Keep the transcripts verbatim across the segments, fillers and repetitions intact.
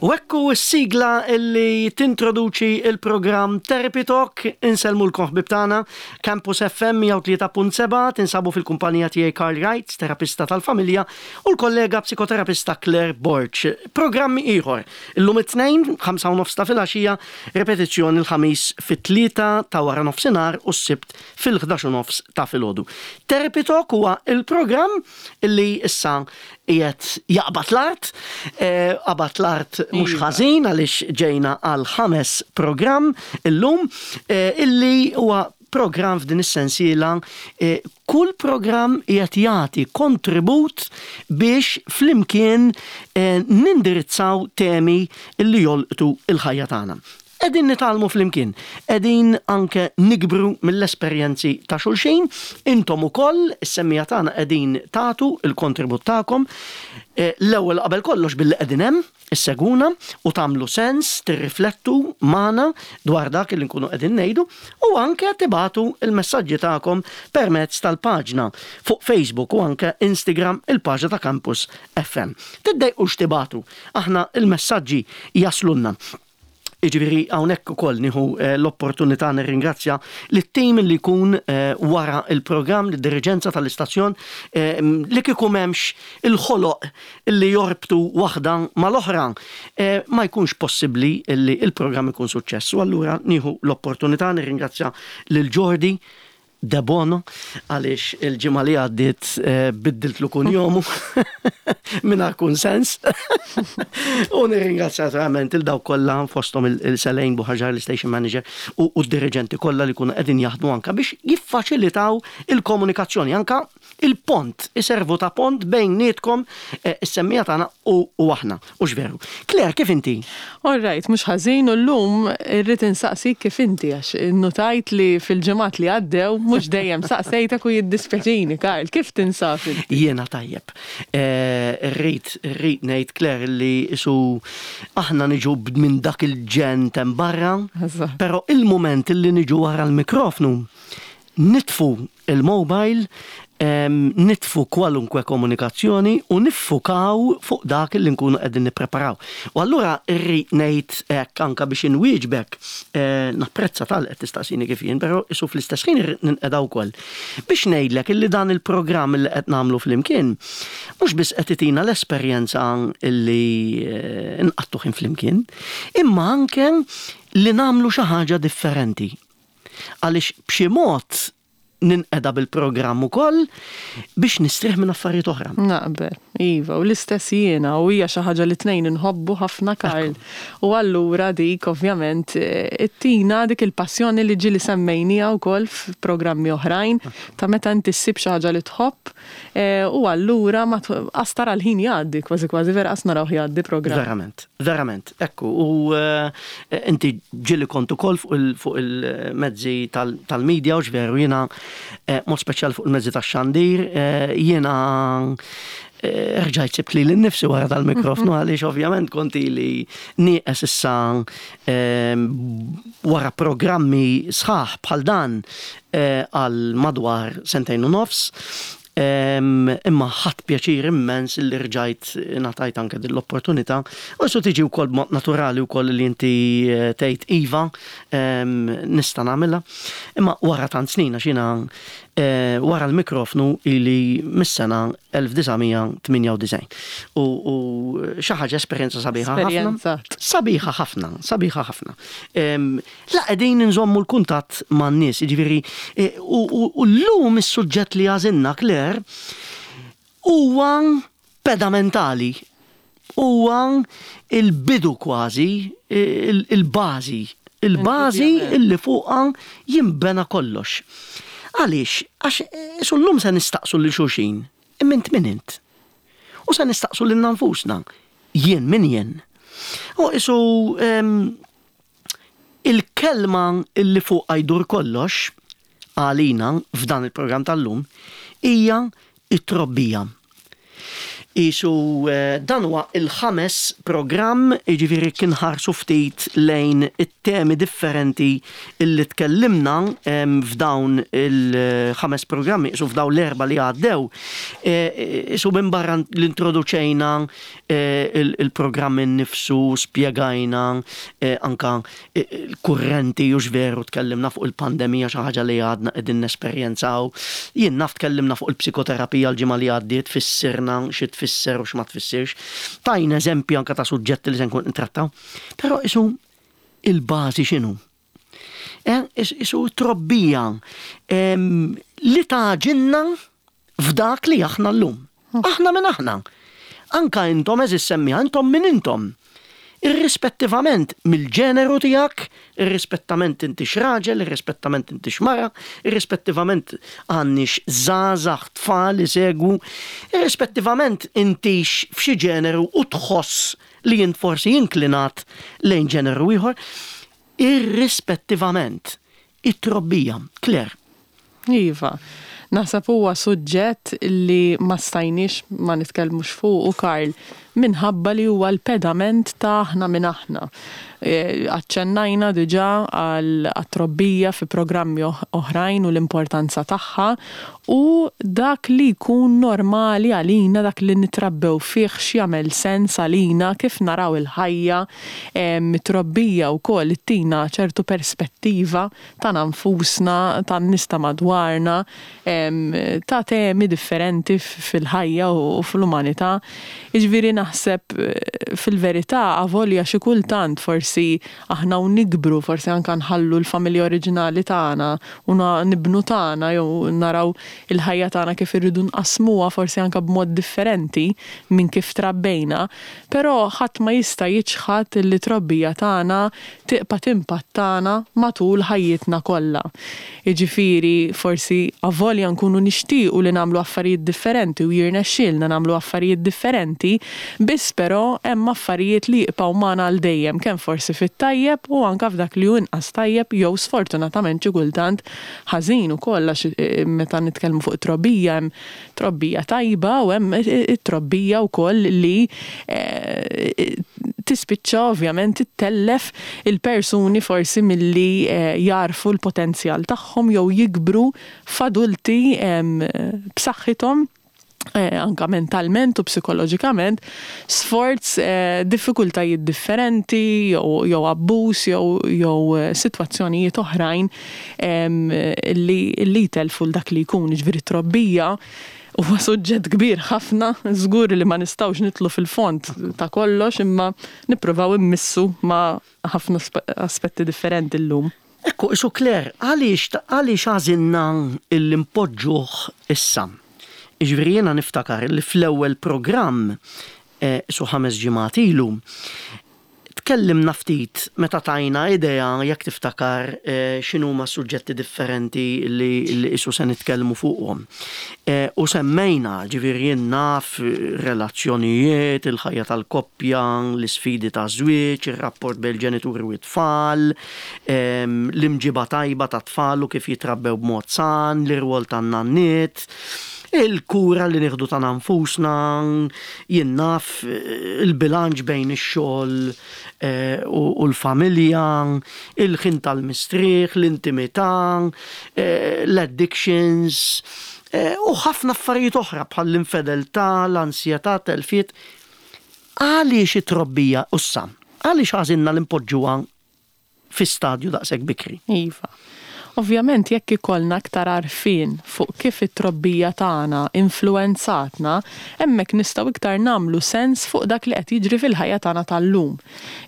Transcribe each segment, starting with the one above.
U ekku s-sigla illi tintroduċi il-programm Therapy Talk. Insellmulkom, ħbieb tagħna, Campus F M mija u tlieta punt seba', tinsabu fil-kumpanija tiegħi Karl Wright, terapista tal-familja, u l-kollega psikoterapista Claire Borg. Programmi ieħor. Illum it-Tnejn, ħamsa u nofs ta' filgħaxija, repetizzjoni l-Ħamis fit-tlieta ta' wara nofsinhar u s-Sibt fil-ħdax u nofs ta' filgħodu. Therapy Talk huwa il-programm illi issa qiegħed jaqbad l-art, eh, qabad l-art mhux Iva. ħażin għaliex ġejna għal ħames programm illum eh, illi huwa programm f'din is-sensiela. eh, kull programm qiegħed jagħti kontribut biex flimkien eh, nindirizzaw temi illi jolqtu il-ħajja tagħna. Qegħdin nitgħallmu flimkien, qegħdin anke nikbru mill-esperjenzi ta' xulxin, intom ukoll is-semmiegħa tagħna qegħdin tagħtu il-kontribut tagħkom. Eh, L-ewwel qabel kollox billi qegħdin hemm issegwuna u tagħmlu sens, tirriflettu magħna dwar dak li nkunu qegħdin ngħidu u anke tibagħtu il-messaġġi tagħkom permezz tal-paġna fuq Facebook u anke Instagram, il-paġna ta' Campus F M. Tiddejqux tibagħtu, aħna il-messaġġi jaslunna. Iġifieri hawnhekk ukoll nieħu eh, l-opportunità nirringrazzja lit-tim li jkun eh, wara il-programm, l-diriġenza tal-istazzjon, eh, li kieku m'hemmx il-ħoloq li jorbtu waħda mal-oħra, eh, ma jkunx possibbli li il-programm ikun suċċess. U allura nieħu l-opportunità nirringrazzja lil Jordi De Bono għaliex il-ġimgħa li għaddiet eh, biddiltlu kunjomu mingħajr kunsens. U nirringrazzja verament lil dawk kollha, fosthom il-Selejn Buħaġar, l-station manager, u u d-dirigenti kollha li kunu qegħdin jaħdmu anka biex jiffaċilitaw il-komunikazzjoni, anka il-pont, iservu ta' pont bejnietkom, eh, is-semmiegħa tagħna, u u aħna. U veru. Claire, kif inti? All right, mhux ħażin, u llum irrid insaqsik kif inti għax innotajt li fil-ġimgħat li għaddew mhux dejjem saqsejtek u jiddispjaċini, Karl, kif tinsab inti? Jiena tajjeb. Eh, Irrid, irrid ngħid, Claire, li isu aħna niġu minn dak il-ġenn t'hemm barra, Eżatt. pero il-moment li niġu wara l-mikrofnu, nitfu il-mobile, em, nitfu kwalunkwe komunikazzjoni u niffukaw fuq dak li nkunu qegħdin nippreparaw. U allura irrid ngħid hekk anka biex inwieġbek, eh, napprezza tal qed tistaqsini kif jien, però isu fl-istess ħin irrid ninqeda wkoll. Biex ngħidlek illi dan il-programm li qed nagħmlu flimkien mhux biss qed itina l-esperjenza illi eh, nqattu ħin flimkien, imma anke li nagħmlu xi ħaġa differenti. Għaliex b'xi mod ninqeda bil-programm ukoll biex nistrieħ minn affarijiet oħra. Naqbel, iva, u l-istess jiena, u hija xi ħaġa li tnejn inħobbu ħafna, Karl. U allura dik ovvjament eh, ittina dik il-passjoni li ġieli semmejnija wkoll f'programmi oħrajn ta' meta inti ssib xi ħaġa li tħobb eh, u allura ma qas tara l-ħin jgħaddi, kważi kważi vera qas narawh jgħaddi programm. Verament, verament. Ekku, u eh, inti ġieli kont ukoll fuq il- fuq il-mezzi tal- tal-media u veru jiena eh, mod speċjal fuq il-mezzi tax-xandir, eh, jiena eh, rġajt sibt lili nnifsi wara tal-mikrofnu għaliex ovvjament konti li nieqes issa eh, wara programmi sħaħ bħal dan eh, għal madwar sentejn u nofs. Em, Imma ħadt pjaċir immens li rġajt ngħatajt anke din l-opportunità. U su tiġi wkoll b'mod naturali wkoll li inti eh, tgħid iva, em, nista' nagħmilha. Imma wara tant snin, għax jiena eh, wara l-mikrofnu ili mis-sena elf disa' mija tmienja u disgħin. U u xi ħaġa, esperjenza sabiħa ħafna. Esperjenza. Sabiħa ħafna, sabiħa ħafna. Em, La qegħdin nżommu l-kuntatt man-nies, jiġifieri, eh, u u- u llum is-suġġett li għażilna, Claire, huwa pedamentali. Huwa il-bidu kważi, il- il-bażi, il-bażi Indubjament. illi fuqha jimbena kollox. Għaliex? Għax eh, llum se nistaqsu lil xulxin, imma int min int? U se nistaqsu lil nfusna, jien min jien? U isu em, il-kelma illi fuqha jdur kollox għalina f'dan il-programm tal-lum hija it-trobbija. Isu eh, dan huwa il-ħames programm, jiġifieri kien ħarsu ftit lejn it-temi differenti illi tkellimna f'dawn il-ħames programmi, isu f'dawn l-erba li għaddew. Eh, isu minn barra l-introduċejna eh, il-programm innifsu, spjegajna anka il-kurrenti u veru tkellimna fuq il-pandemija, xi ħaġa li għadna qegħdin nesperjenzaw. Jien naf tkellimna fuq il-psikoterapija l-ġimgħa li għaddiet, fissirna xi tfisser u x'ma tfissirx. Tajna eżempji anka ta' suġġetti li se nkun ntrattaw. Però isu il-bażi x'inhu? Eh, isu trobbija li tagħġinna f'dak li aħna llum. Aħna minn aħna. Anka intom, għeżież semmiegħa, intom minn intom. Irrispettivament mill-ġeneru tiegħek, irrispettament inti raġel, irrispettament inti mara, irrispettivament għandniex żgħażagħ, tfal isegwu, irrispettivament intix f'xi ġeneru u tħoss li jint forsi inklinat lejn ġeneru ieħor, irrispettivament it-trobbija. Claire. Iva. Naħseb huwa suġġett li ma stajniex ma nitkellmux fuq u Karl, minħabba li huwa l-pedament ta' aħna minn aħna. E, aċċennajna diġà għal trobbija fi programmi oħrajn u l-importanza tagħha u dak li jkun normali għalina, dak li nitrabbew fih, x'jagħmel sens għalina, kif naraw il-ħajja, trobbija wkoll ittina ċertu perspettiva ta' nfusna, tan-nies ta' madwarna, ta' temi differenti fil-ħajja u fl-umanità. Jiġifieri naħseb eh, fil-verità, avolja xi kultant forsi aħna u nikbru, forsi anka nħallu l-familja oriġinali tagħna u nibnu tagħna jew naraw il-ħajja tagħna kif irridu nqasmuha forsi anka b'mod differenti minn kif trabbejna, però ħadd ma jista' jiċħad li trobbija tagħna tibqa' timpattana matul ħajjitna kollha. Jiġifieri forsi avolja nkunu nixtiequ li nagħmlu affarijiet differenti u jirnexxielna nagħmlu affarijiet differenti, biss però hemm affarijiet li jibqgħu magħna għal dejjem, kemm forsi fit-tajjeb u anka f'dak li hu inqas tajjeb jew sfortunatament xi kultant ħażin ukoll, għax eh, meta nitkellmu fuq trobbija hemm trobbija tajba u hemm it-trobbija wkoll li eh, tispiċċa ovvjament ittellef il-persuni forsi milli eh, jarfu l-potenzjal tagħhom jew jikbru f'adulti b'saħħithom eh, anka mentalment u psikoloġikament, sforz eh, diffikultajiet differenti jew jew abbuż jew jew eh, sitwazzjonijiet oħrajn em, li li jtelfu dak li jkun. Ġifieri trobbija huwa suġġett kbir ħafna, żgur li ma nistgħux nidħlu fil-fond ta' kollox, imma nippruvaw immissu ma' ħafna aspetti differenti llum. Ekku, isu Claire, għaliex għaliex għażilna illi npoġġuh issa? Jiġifieri jiena niftakar li fl-ewwel programm, eh, su ħames ġimgħat ilu, tkellimna ftit meta tajna idea, jekk tiftakar, eh, x'inhuma suġġetti differenti li, li isu se nitkellmu fuqhom. Eh, u semmejna, ġifieri jien naf, relazzjonijiet, il-ħajja tal-koppja, l-isfidi ta' żwieġ, ir-rapport bejn ġenituri u t-tfal, ehm, l-imġiba tajba ta' tfal u kif jitrabbew b'mod san, l-irwol tan-nanniet, il-kura li nieħdu ta' nfusna, jien naf, il-bilanċ bejn ix-xogħol eh, u u l-familja, il-ħin tal-mistrieħ, l-intimità, eh, l-addictions, eh, u ħafna affarijiet oħra bħal l-infedeltà, l-ansjetà, telfiet. Għaliex it-trobbija issa? Għaliex għażilna li npoġġuha fi stadju daqshekk bikri? Iva. Ovvjament jekk ikollna aktar għarfien fuq kif it-trobbija tagħna influenzatna, hemmhekk nistgħu iktar nagħmlu sens fuq dak li qed jiġri fil-ħajja tagħna tal-lum.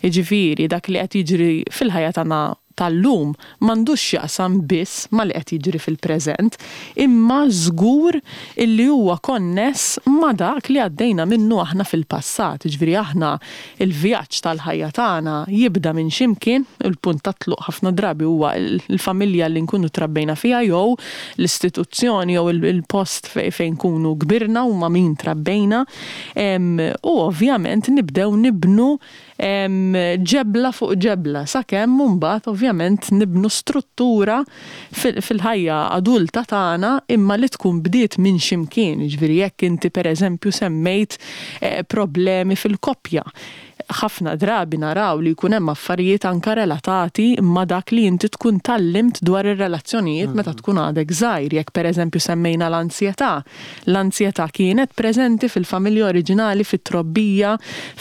Jiġifieri dak li qed jiġri fil-ħajja tagħna tal-lum m'għandux x'jaqsam biss ma li qed jiġri fil-preżent, imma żgur illi huwa konness ma dak li għaddejna minnu aħna fil-passat. Ġifieri aħna il-vjaġġ tal-ħajja tagħna jibda minn ximkien, il-punt ta' tluq ħafna drabi huwa il-familja li nkunu trabbejna fiha jew l-istituzzjoni jew il-post fejn nkunu kbirna u ma' min trabbejna. U ovvjament nibdew nibnu Ġebla fuq ġebla, sakemm mbagħad ovvjament nibnu struttura fil-ħajja adulta tagħna, imma li tkun bdiet minn ximkien. Ġifieri jekk inti, pereżempju, semmejt eh, problemi fil-koppja, ħafna drabi naraw li jkun hemm affarijiet anka relatati ma' dak li inti tkun tgħallimt dwar ir-relazzjonijiet meta tkun għadek żgħir. Jekk, pereżempju, semmejna l-ansjetà, l-ansjetà kienet preżenti fil-familja oriġinali, fit-trobbija,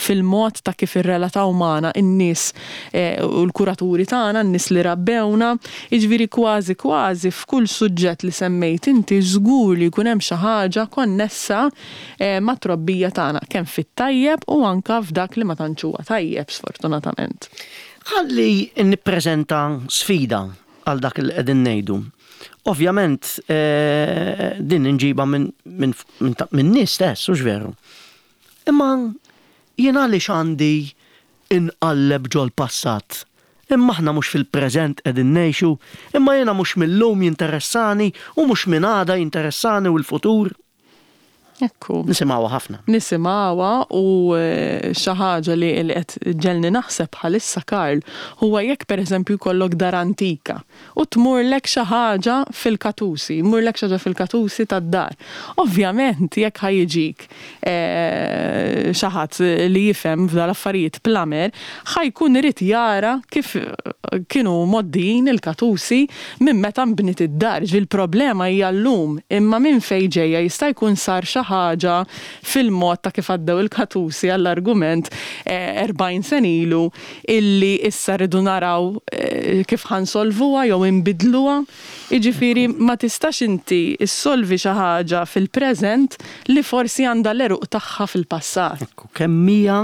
fil-mod ta' kif irrelataw magħna in-nies eh, u l-kuraturi tagħna, n-nies li rabbewna. Jiġifieri kważi kważi f'kull suġġett li semmejt inti żgur li jkun hemm xi ħaġa konnessa eh, ma' trobbija tagħna, kemm fit-tajjeb u anka f'dak li ma tantx huwa tajjeb, sfortunatament. Ħalli nippreżenta sfida għal dak li qegħdin ngħidu. Ovvjament eh, din inġiba minn min, min, min nies stess, hux veru? Imma jien għaliex għandi inqalleb ġol-passat? Imma aħna mhux fil-preżent qegħdin ngħixu? Imma jiena mhux mill-lum jinteressani u mhux minn għada jinteressani u l-futur? Ekku. Nisimgħuha ħafna. Nisimgħuha u eh, xi ħaġa li li qed ġelni naħseb bħalissa, Karl, huwa jekk, pereżempju, jkollok dar antika u tmurlek xi ħaġa fil-katusi, jmurlek xi ħaġa fil-katusi tad-dar. Ovvjament jekk ħa jiġik eh, xi ħadd li jifhem f'dal-affarijiet, plumber, ħa jkun irid jara kif kienu mgħoddijin il-katusi minn meta nbniet id-dar. Il-problema hija llum, imma minn fejn ġejja? Jista' jkun sar xi ħaġa fil-mod ta' kif għaddew il-katusi, għall-argument, erbgħin sena ilu, illi issa rridu naraw eh, kif ħa nsolvuha jew inbidluha. Jiġifieri ma tistax inti issolvi xi ħaġa fil-preżent li forsi għandha l-għeruq tagħha fil-passat. Ekku, kemm hija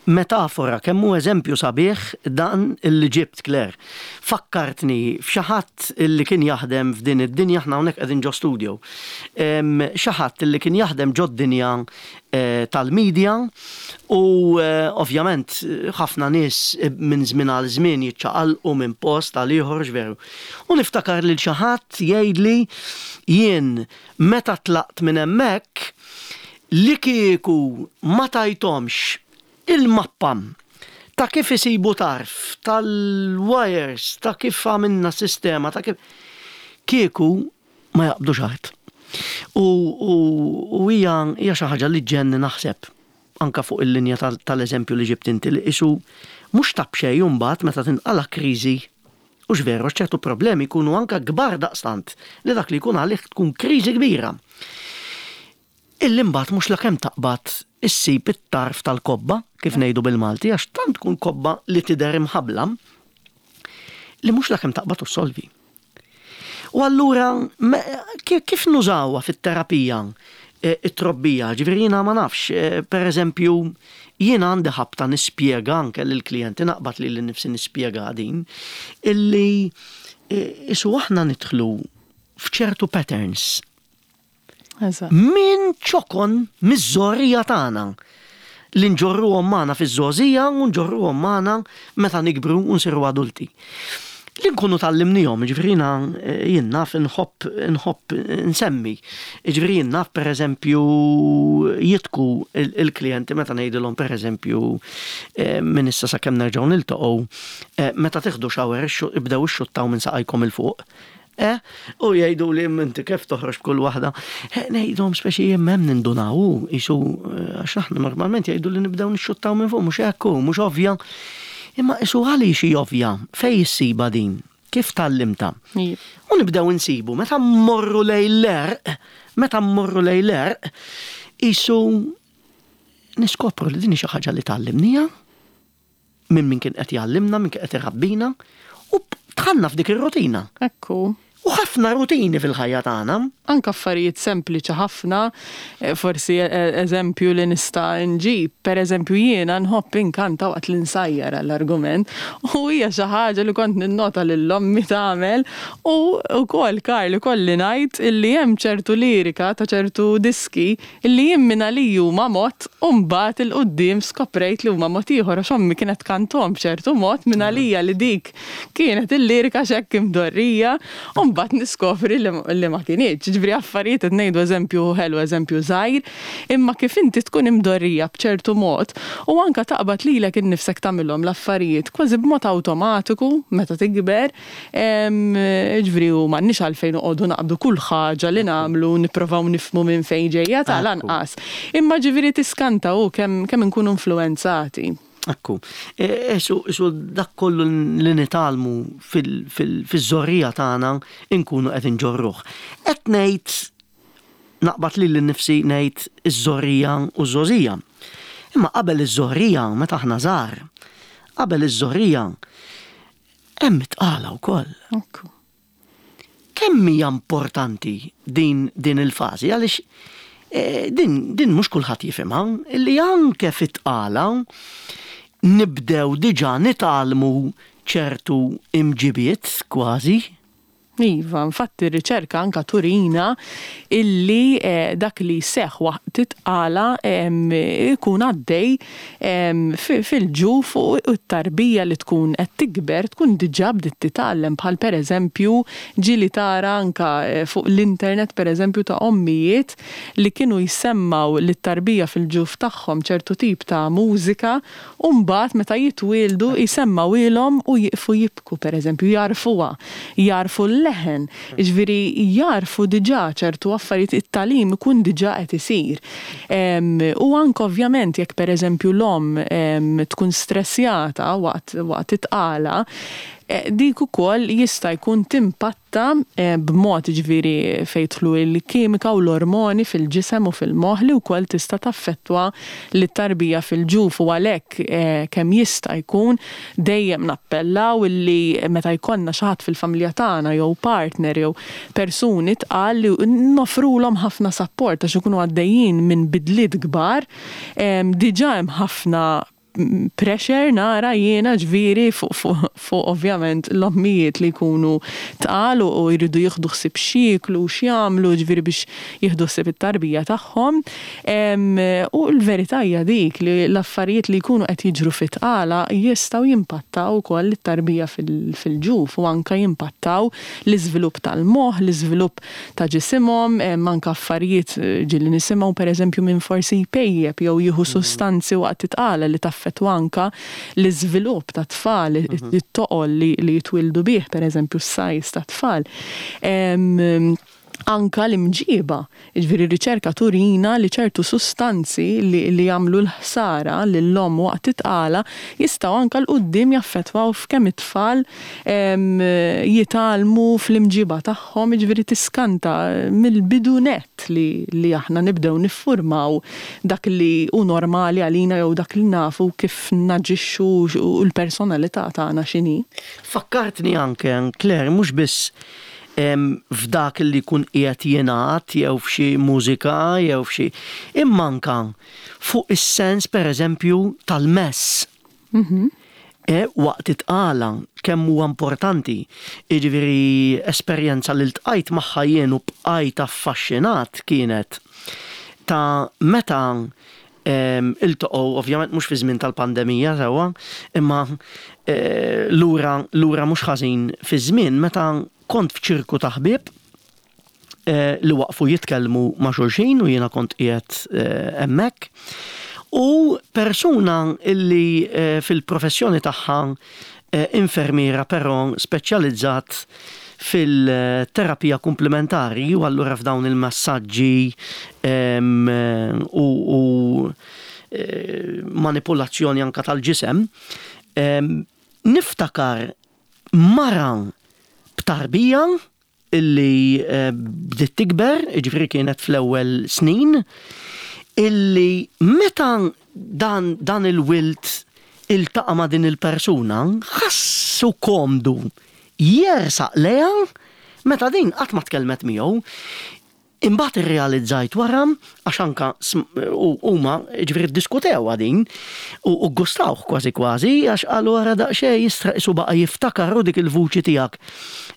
metafora, kemm hu eżempju sabiħ dan illi ġibt, Claire. Fakkartni f'xi ħadd illi kien jaħdem f'din id-dinja, aħna hawnhekk qegħdin ġo studio. Xi ħadd illi kien jaħdem ġo dinja eh, tal-medja u eh, ovvjament ħafna nies minn żmien għal żmien jiċċaqalqu minn post għal ieħor, veru? U niftakar lil xi ħadd jgħidli: "Jien meta tlaqt minn hemmhekk, li kieku ma tajthomx il-mappa ta' kif isibu tarf, tal-wires, ta' kif għamilna sistema, ta' kif kieku ma jaqbdu art." U, u, u hija hija xi ħaġa li ġenni naħseb anka fuq il-linja tal-eżempju li ġibt inti, li qisu mhux ta' b'xejn mbagħad meta tinqala kriżi, hux veru, ċertu problemi jkunu anka kbar daqstant li dak li jkun għalih tkun kriżi kbira. Illi mbagħad mhux lakemm taqbad issib it-tarf tal-kobba, kif ngħidu bil-Malti, għax tant tkun kobba li tidher imħabla li mhux lakemm taqbad u solvi. U allura kif nużawha fit-terapija e, it-trobbija? Ġifieri jiena ma nafx, e, per eżempju, jiena għandi ħabta nispjega anke lill-klijenti, naqbad li l-nifsi nispjega din, illi e, qisu aħna nidħlu f'ċertu patterns minn ċokon miż-żgħorija tagħna li nġorruhom magħna fiż-żgħożija u nġorruhom magħna meta nikbru u nsiru adulti. Li nkunu tgħallimnihom, ġifieri eh, jien naf nħobb nħobb nsemmi. Ġifieri jien naf, per eżempju, jidħku il-klijenti meta ngħidilhom, per eżempju, eh, minn issa sakemm nerġgħu niltaqgħu, eh, meta tieħdu shower ibdew ixxuttaw minn saqajkom 'il fuq. Eh? U jgħidu li inti kif toħroġ b'kull waħda. Eh, ngħidhom speċi hemm nindunaw, qisu għax aħna normalment jgħidu li nibdew nixxuttaw minn fuq, mhux hekk, mhux ovvja. Imma qisu għaliex hi ovvja, fej issiba din? Kif tgħallimtha? U nibdew insibu, meta mmorru lejn l-għerq, meta mmorru lejn l-għerq, qisu niskopru li din xi ħaġa li tgħallimnieha minn min kien qed jgħallimna, min kien qed irabbina, u dħalna f'dik ir-rutina. Ekku. U ħafna rutini fil-ħajja tagħna. Anka affarijiet sempliċi ħafna, eh, forsi eh, eżempju li nista' nġib, per eżempju, jiena nħobb inkanta waqt li nsajjar, għall-argument, u hija xi ħaġa li kont ninnota lil ommi tagħmel, u wkoll, Karl, kolli ngħid illi hemm ċertu lirika ta' ċertu diski illi jien minn għalija huma mod u mbagħad 'il quddiem skoprejt li huma mod ieħor, għax ommi kienet tkantahom b'ċertu mod, minn għalija li dik kienet il-lirika x'hekk imdorrija, u mbagħad niskopri li ma kinitx. Ġifieri affarijiet qed ngħidu eżempju ħelu, eżempju żgħir, imma kif inti tkun imdorrija b'ċertu mod u anka taqbad lilek innifsek tagħmilhom l-affarijiet kważi b'mod awtomatiku meta tikber, ġifieri u m'għandniex għalfejn noqogħdu naqbdu kull ħaġa li nagħmlu nipprovaw nifhmu minn fejn ġejja tal-anqas. Imma ġifieri tiskanta u kemm kemm inkunu influenzati. Ekku, isu e, dak kollu li nitgħallmu fiż-żgħożija tagħna inkunu qed inġorruh. Qed ngħid naqbad lili nnifsi ngħid iż-żgħożija u ż-żgħożija. Imma qabel iż-żgħożija meta aħna żgħar, qabel iż-żgħożija hemm it-tqala wkoll. Kemm hija importanti din din il-fażi għaliex e, din din mhux kulħadd jifhimha illi anke fit-tqala nibdew diġà nitgħallmu ċertu imġibiet kważi. Iva, infatti r-riċerka anka turina illi eh, dak li seħ waqt it-tqala ikun għaddej fil-ġuf u t-tarbija li tkun qed tikber tkun diġà bdiet titgħallem, bħal pereżempju ġieli tara anka eh, fuq l-internet, pereżempju, ta' ommijiet li kienu jsemmaw lit-tarbija fil-ġuf tagħhom ċertu tip ta' mużika u mbagħad meta jitwieldu jsemmgħuhielhom u jiqfu jibku, pereżempju, jagħrfuha, jagħrfu l-leħen, ġifieri jagħrfu diġà ċertu affarijiet, it-tagħlim ikun diġà qed isir. U anke ovvjament jekk pereżempju l-omm tkun stressjata waqt waqt it-tqala, eh, dik ukoll jista' jkun timpatta eh, b'mod, ġifieri fejn jidħlu l-kimika u l-ormoni fil-ġisem u fil-moħħ li wkoll tista' taffettwa lit-tarbija fil-ġuf. U għalhekk eh, kemm jista' jkun dejjem nappellaw illi meta jkollna xi ħadd fil-familja tagħna jew partner jew persuni tqal li noffrulhom ħafna support għax ikunu għaddejjin minn bidliet kbar, diġà hemm ħafna pressure nara jiena, ġifieri fuq fu, fu, ovvjament l-ommijiet li jkunu tqal u jridu jieħdu ħsieb x'jieklu u x'jagħmlu, ġifieri biex jieħdu ħsieb it-tarbija tagħhom. U l-verità hija dik li l-affarijiet li jkunu qed jiġru fit-tqala jistgħu jimpattaw ukoll it-tarbija fil-ġuf u anka jimpattaw l-iżvilupp tal-moħħ, l-iżvilupp ta' ġisimhom, anka affarijiet ġieli nisimgħu, pereżempju, minn forsi jpejjep jew jieħu sustanzi waqt it-tqala li taffettwa anka l-iżvilupp ta' tfal, it-toqol li, li jitwildu bih, per eżempju, s-size ta' tfal. Anka l-imġiba, ġifieri riċerka turina li ċertu sustanzi li, li jagħmlu l-ħsara lill-omm waqt it-tqala jistgħu anka 'l quddiem jaffettwaw f'kemm it-tfal jitgħallmu fl-imġiba tagħhom, ġifieri tiskanta mill-bidu net li, li aħna nibdew niffurmaw dak li hu normali għalina jew dak li nafu kif naġixxu u l-personalità tagħna x'inhi. Fakkartni anke, Claire, mhux biss f'dak li kun qiegħed jingħad jew f'xi mużika jew f'xi, imma anka fuq is-sens, pereżempju, tal-mess. Mm-hmm. E, waqt it-tqala kemm huwa importanti. Jiġifieri esperjenza li ltqajt magħha jien u bqajt affaxxinat kienet ta' meta iltaqgħu, ovvjament mhux fi żmien tal-pandemija sewwa, imma e, lura lura mhux ħażin fi żmien, meta kont f'ċirku ta' ħbieb eh, li waqfu jitkellmu ma' xulxin u jiena kont qiegħed eh, hemmhekk. U persuna illi eh, fil-professjoni tagħha infermiera però speċjalizzat fil-terapija komplementari u allura f'dawn il-massaġġi u, u manipolazzjoni anka tal-ġisem, niftakar mara b'tarbija illi eh, bdiet tikber, ġifieri kienet fl-ewwel snin, illi meta dan, dan il-wild iltaqa' ma' din il-persuna, ħassu komdu jersaq lejha meta din qatt ma tkellmet miegħu. Imbagħad irrealizzajt wara, għax anka huma ġifieri ddiskutewha din u gustawh kważi kważi, għax qalu, "Wara daqsxejn jistra isu baqa' jiftakar dik il-vuċi tiegħek."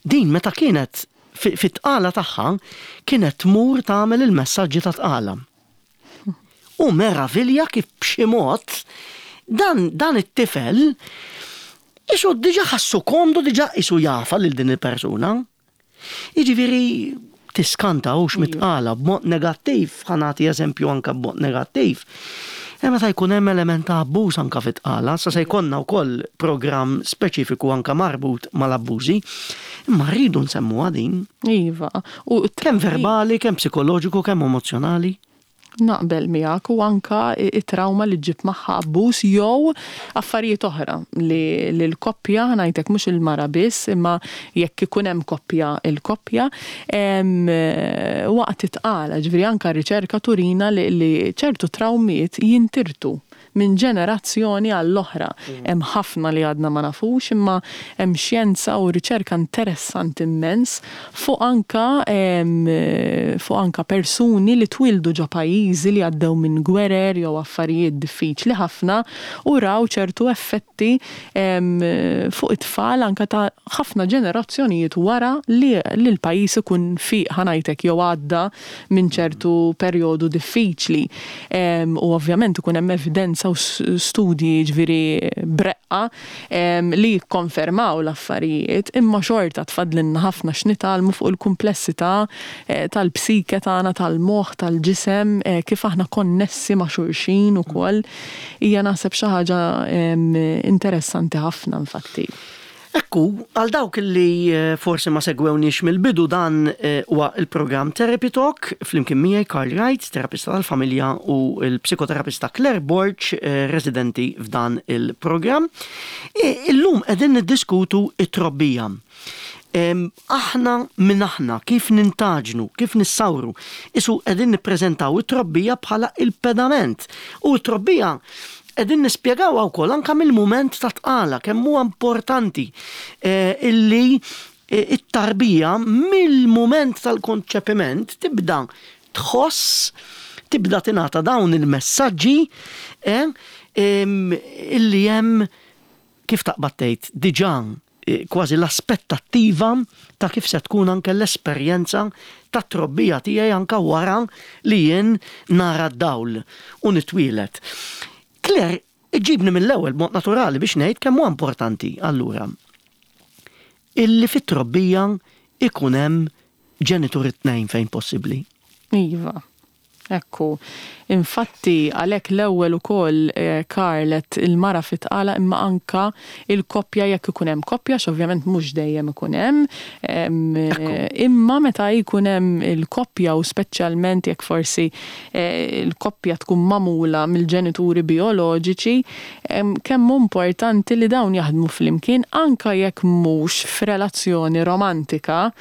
Din meta kienet fit-tqala tagħha kienet tmur tagħmel il-messaġġi ta' tqala. U meravilja kif b'xi mod dan, dan it-tifel isu diġà ħassu komdu, diġà isu jafha lil din il-persuna. Jiġifieri tiskanta hux mit-tqala b'mod negattiv, ħa nagħti eżempju anka b'mod negattiv. E meta jkun hemm element ta' abbuż anka fit-tqala, sa se jkollna wkoll programm speċifiku anka marbut mal-abbużi, imma rridu nsemmuha din. Iva. U kemm verbali, kemm psikoloġiku, kemm emozjonali. Naqbel miegħek, u anka it-trauma li ġġib magħha abbuż jew affarijiet oħra li l-koppja, ngħidlek mhux il-mara biss, imma jekk ikun hemm koppja, il-koppja waqt it-tqala, ġifieri anka riċerka turina li ċertu trawmiet jintirtu minn ġenerazzjoni għall-oħra. Hemm ħafna li għadna ma nafux, imma hemm xjenza u riċerka interessanti immens fuq anka fuq anka persuni li twildu ġo pajjiżi li għaddew minn gwerer jew affarijiet diffiċli ħafna u raw ċertu effetti fuq it-tfal anka ta' ħafna ġenerazzjonijiet wara li l-pajjiż ikun fiq, ħa ngħidlek, jew għadda minn ċertu perjodu diffiċli. U ovvjament ikun hemm evidenza u studji, ġifieri breqqa, li jikkonfermaw l-affarijiet, imma xorta tfadlinna ħafna x'nitgħallmu fuq il-kumplessità eh, tal-psike tagħna, tal-moħħ, tal-ġisem, eh, kif aħna konnessi ma' xulxin ukoll. Hija naħseb xi ħaġa interessanti ħafna infatti. Ekku, għal dawk li eh, forsi ma segwewniex mill-bidu, dan eh, huwa il-programm Therapy Talk flimkien miegħi Karl Wright, terapista tal-familja, u l-psikoterapista Claire Borg, eh, residenti f'dan il-programm. Illum qegħdin niddiskutu it-trobbija. Aħna minn aħna, kif nintagħġnu, kif nissawru. Isu qegħdin nippreżentaw it-trobbija bħala il-pedament. U t-trobbija qegħdin nispjegaw wkoll anke mill-mument ta' tqala kemm huwa importanti eh, illi eh, it-tarbija mill-mument tal-konċepiment tibda tħoss, tibda tingħata dawn il-messaġġi eh, illi hemm, kif taqbad tgħid, diġà kważi l-aspettattiva ta' kif se tkun anke l-esperjenza ta' trobbija tiegħi anke wara li jien nara d-dawl u nitwielet. Claire, iġibni mill-ewwel mod naturali biex ngħid kemm huwa importanti allura illi fit-trobbija ikun hemm ġenitur it-tnejn fejn possibbli. Iva. Ekku, infatti għalhekk l-ewwel ukoll, eh, Karlet, il-mara fit-tqala, imma anka il-koppja jekk ikun hemm koppja, ovvjament mhux dejjem ikun hemm, imma meta jkun hemm il-koppja u speċjalment jekk forsi eh, il-koppja tkun magħmula mill-ġenituri bioloġiċi, kemm importanti li dawn jaħdmu flimkien anka jekk mhux f'relazzjoni romantika,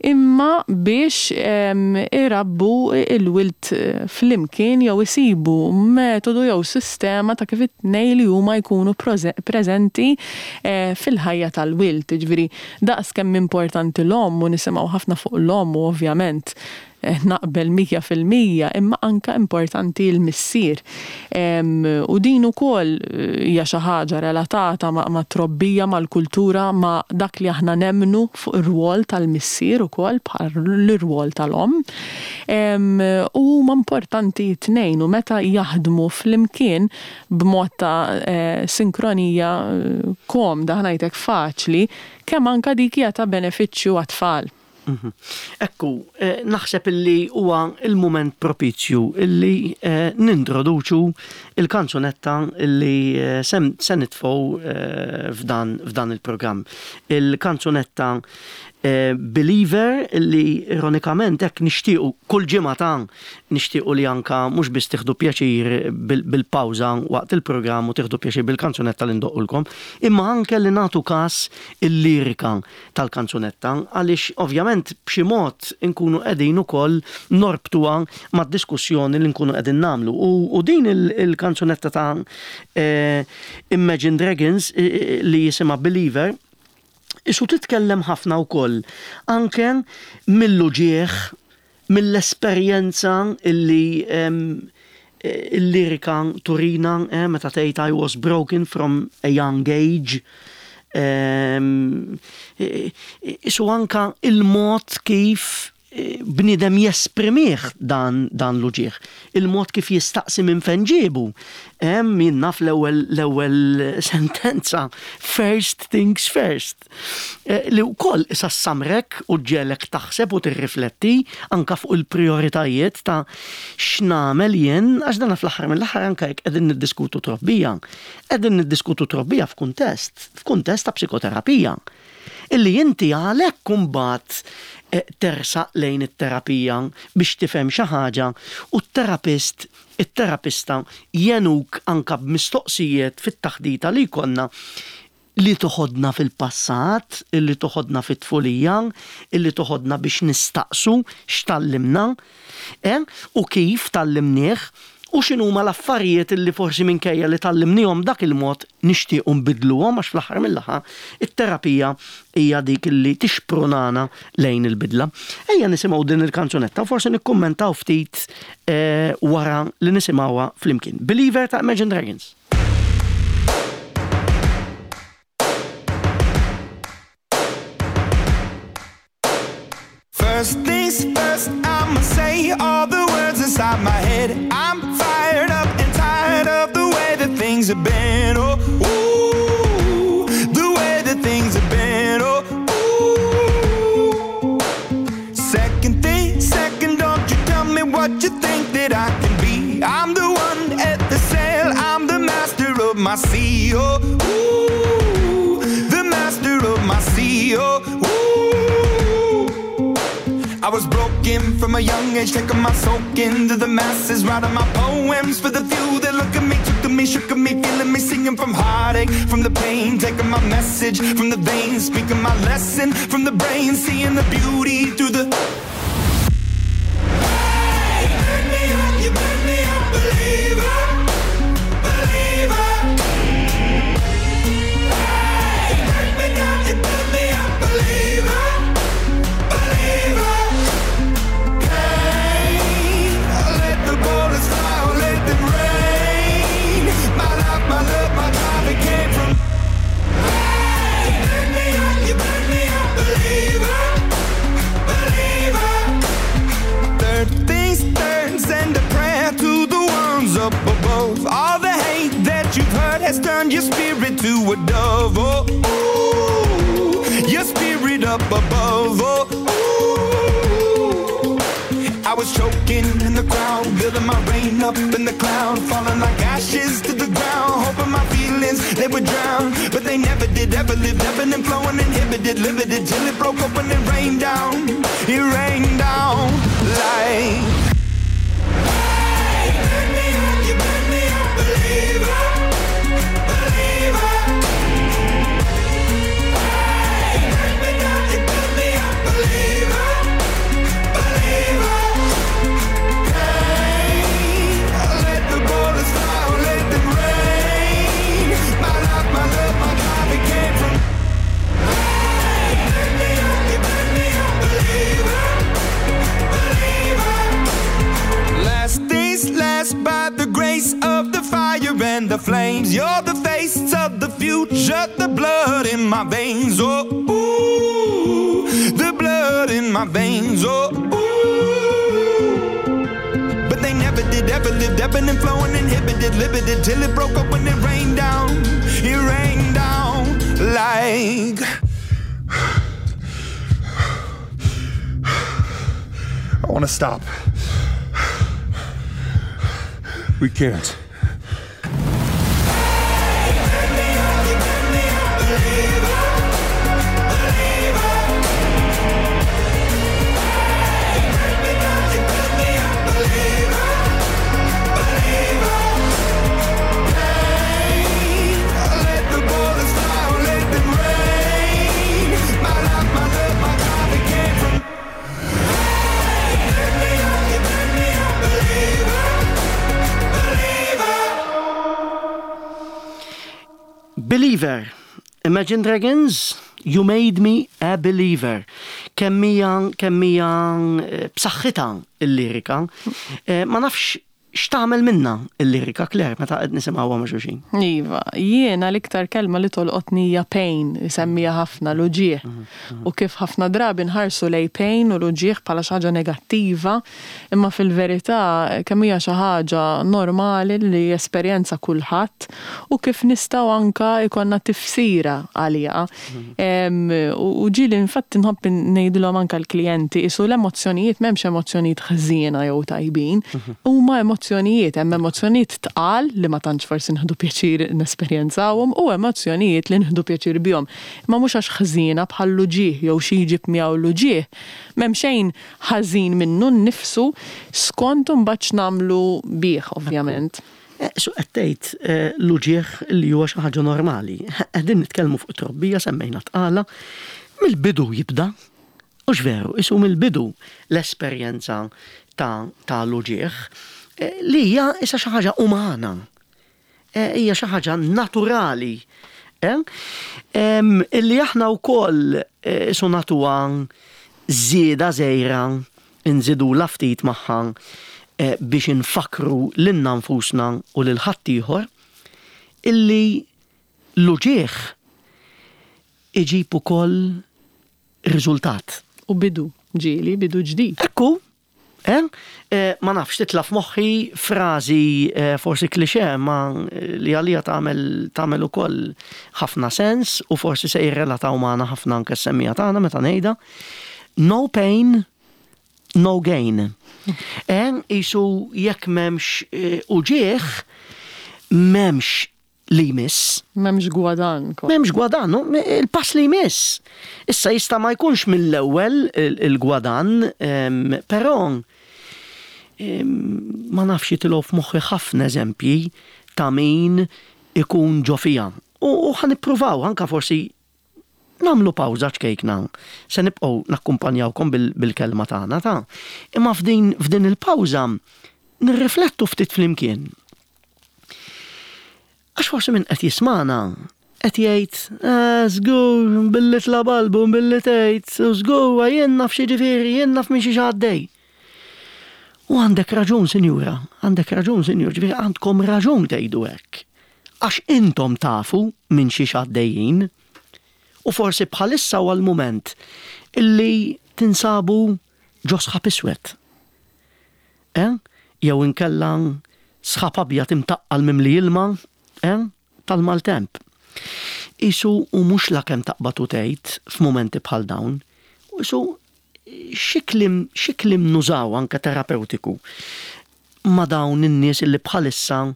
imma biex irabbu il-wild flimkien jew isibu metodu jew sistema ta' kif it-tnejn li huma jkunu preżenti eh, fil-ħajja tal-wild. Ġifieri daqs kemm importanti l-omm, u nisimgħu ħafna fuq l-omm u ovvjament eh, naqbel mija fil-mija, imma anka importanti l-missier. U din ukoll eh, hija xi ħaġa relatata ma' trobbija, mal-kultura, ma' dak li aħna nemnu fuq ir-rwol tal-missier ukoll bħal l-rwol tal-omm. U huma importanti tnejn u meta jaħdmu flimkien b'mod ta' eh, sinkronija komda, ħa ngħidlek faċli, kemm anka dik hija ta' benefiċċju għat-tfal. Mhm. Ekku, eh, naħseb illi huwa il-moment propizju illi eh, nintroduċu il-kanzunetta illi eh, se nitfgħu f'dan, f'dan il-programm. Il-kanzunetta Believer, illi ironikament hekk nixtiequ kull ġimgħa ta' nixtiequ li anka mhux biss tieħdu pjaċir bil-pawża waqt il-programm u tieħdu pjaċir bil-kanzunetta li ndoqqulkom, imma anke li nagħtu kas il-lirika tal-kanzunetta, għaliex ovvjament b'xi mod inkunu qegħdin ukoll norbtuha mad-diskussjoni li nkunu qegħdin nagħmlu. U din il-kanzunetta ta' eh, Imagine Dragons eh, li jisimha Believer isu titkellem ħafna wkoll anke mill-uġieħ, mill-esperjenza illi il-lirika turina eh, meta tgħid "I was broken from a young age". Isu anka il-mod kif eh, bniedem jesprimih dan, dan l-uġigħ. Il-mod kif jistaqsi minn fejn ġiebu. Hemm jien naf l-ewwel l-ewwel sentenza, "First things first." Eh, li wkoll issa ssamrek u ġġegħlek taħseb u tirrifletti anka fuq il-prioritajiet ta' x'nagħmel jien, għax dana fl-aħħar mill-aħħar, anka jekk qegħdin niddiskutu trobbija, qegħdin niddiskutu trobbija f'kuntest, f'kuntest ta' psikoterapija. Illi inti għalhekk imbagħad eh, tersaq lejn it-terapija biex tifhem xi ħaġa u t-terapist, it-terapista jgħinuk anka b'mistoqsijiet fit-taħdita li jkollna li toħodna fil-passat, illi toħodna fit-tfulija, illi toħodna biex nistaqsu x'tgħallimna, eh? U kif tgħallimnieh, u x'inhuma l-affarijiet illi forsi minkejja li tgħallimnihom dak il-mod nixtiequ nbidluhom, għax fl-aħħar mill-aħħar it-terapija hija dik illi tixprunana lejn il-bidla. Ejja nisimgħu din il-kanzunetta u forsi nikkummentaw ftit eh, wara li nisimgħuha flimkien. Believer ta' Imagine Dragons. First things first, I'ma say all the words inside my head. I'm fired up and tired of the way that things have been. Oh, ooh, the way that things have been. Oh, ooh. Second thing, second, don't you tell me what you think that I can be. I'm the one at the sail, I'm the master of my sea. Oh, ooh, the master of my sea. Oh, ooh. I was broken from a young age, taking my soak into the masses, writing my poems for the few that look at me, took to me, shook at me, feeling me, singing from heartache, from the pain, taking my message from the veins, speaking my lesson from the brain, seeing the beauty through the. Hey, you made me up, you made me a believer, believer. Hey, you break me down, you build me up, believer, believer. Pain, let the bullets fly, or let them rain. My life, my love, my drive, it came from. Hey, you made me up, you made me a believer, believer. Third things third, send a prayer to the ones up above. All the hate that you've heard has turned your spirit to a dove. Oh, ooh, your spirit up above. Oh, ooh. I was choking in the crowd, building my rain up in the cloud, falling like ashes to the ground, hoping my feelings they would drown, but they never did. Ever lived, ebbing and flowing, inhibited, limited, till it broke open and rained down. It rained down like. Hey, you made me up, you made me a believer, believer. Hey, you break me down, you build me up, believer, believer. Pain, let the bullets fly, or let them rain. My life, my love, my drive, it came from. Hey, you made me up, you made me a believer, believer. Last things last, by the grace of the fire and the flames. You're the face of the future, the blood in my veins. Oh, ooh, the blood in my veins. Oh, ooh. But they never did, ever lived, ebbing and flowing, inhibited, limited, till it broke up when it rained down. It rained down like. I want to stop. We can't. Hey, you made me up, you made me a believer, believer. Hey, you break me down, you build me up, believer, believer. Pain, let the bullets fly, or let them rain. My life, my love, my drive, it came from. Hey, you made me up, you made me a believer, believer. Believer, Imagine Dragons, "You Made Me a Believer". Kemm hija kemm hija eh, b'saħħitha il-lirika. Eh, Ma nafx X'tagħmel minna il-lirika, Claire, meta qed nisimgħuha ma' xulxin? Iva, jiena l-iktar kelma li tolqotni hija pain, isemmija ħafna l-uġigħ. U kif ħafna drabi nħarsu lej pain u l-uġigħ bħala xi ħaġa negattiva, imma fil-verità kemm hija xi ħaġa normali li esperjenza kulħadd u kif nistgħu anka jkollna tifsira għaliha. Em, U u ġieli infatti nħobb ngħidilhom anka l-klijenti isu l-emozzjonijiet, m'hemmx emozzjonijiet ħżiena jew tajbin, huma emozzjonijiet, hemm emozzjonijiet tqal li ma tantx forsi nieħdu pjaċir nesperjenzawhom u emozzjonijiet li nieħdu pjaċir bihom. Imma mhux għax ħżiena bħal l-uġigħ jew xi jġib miegħu l-uġigħ. M'hemm xejn ħażin minnu nnifsu skont imbagħad x'nagħmlu bih, ovvjament. Eh, Su qed tgħid eh, l-uġigħ li huwa xi ħaġa normali. Qegħdin nitkellmu fuq trobbija, semmejna tqala. Mill-bidu jibda. Hux veru, isu mill-bidu l-esperjenza ta' ta' l-uġigħ eh, li hija issa xi ħaġa umana. Eh, Hija xi ħaġa naturali. Eh? Em, Illi aħna wkoll eh, isu nagħtuha żieda żgħira, nżidu ftit magħha eh, biex infakru lilna nfusna u lil ħaddieħor illi l-uġigħ iġib ukoll riżultat. U bidu, ġieli, bidu ġdid. Ekku, eh? Eh, ma nafx, titla' f'moħħi frażi eh, forsi klixe ma eh, li għalija tagħmel tagħmel ukoll ħafna sens u forsi se jirrelataw magħna ħafna anke s-semmiegħa tagħna meta ngħidha. "No pain, no gain." Eh, isu jekk m'hemmx eh, uġigħ, m'hemmx li jmiss. M'hemmx gwadan. M'hemmx gwadan, no? Il-pass li jmiss. Issa jista' ma jkunx mill-ewwel il- il-gwadan, em, però em, ma nafx, jitilgħu f'moħħi ħafna eżempji ta' min ikun ġo fiha. U, u ħa nippruvaw anka forsi nagħmlu pawża ċkejkna. Se nibqgħu nakkumpanjawkom bil- bil-kelma tagħna ta' imma f'din f'din il-pawża nirriflettu ftit flimkien. Għax forsi min qed jismana qed jgħid, "Eh, żgur billi tlab album, billi tgħid, u żgur jien naf xi ġifieri, jien naf minn xi għaddej." U għandek raġun, sinjura, għandek raġun, sinjur, ġifieri għandkom raġun tgħidu hekk. Għax intom tafu minn xi għaddejjin. U forsi bħalissa huwa l-mument illi tinsabu ġo sħab iswed. Eh? Jew inkella sħab abjad imtaqqal mimli ilma, eh? Tal-maltemp. Isu u mhux la kemm taqbad u tgħid f'mumenti bħal dawn, u isu xi kliem xi kliem nużaw anke terapeutiku ma' dawn in-nies illi bħalissa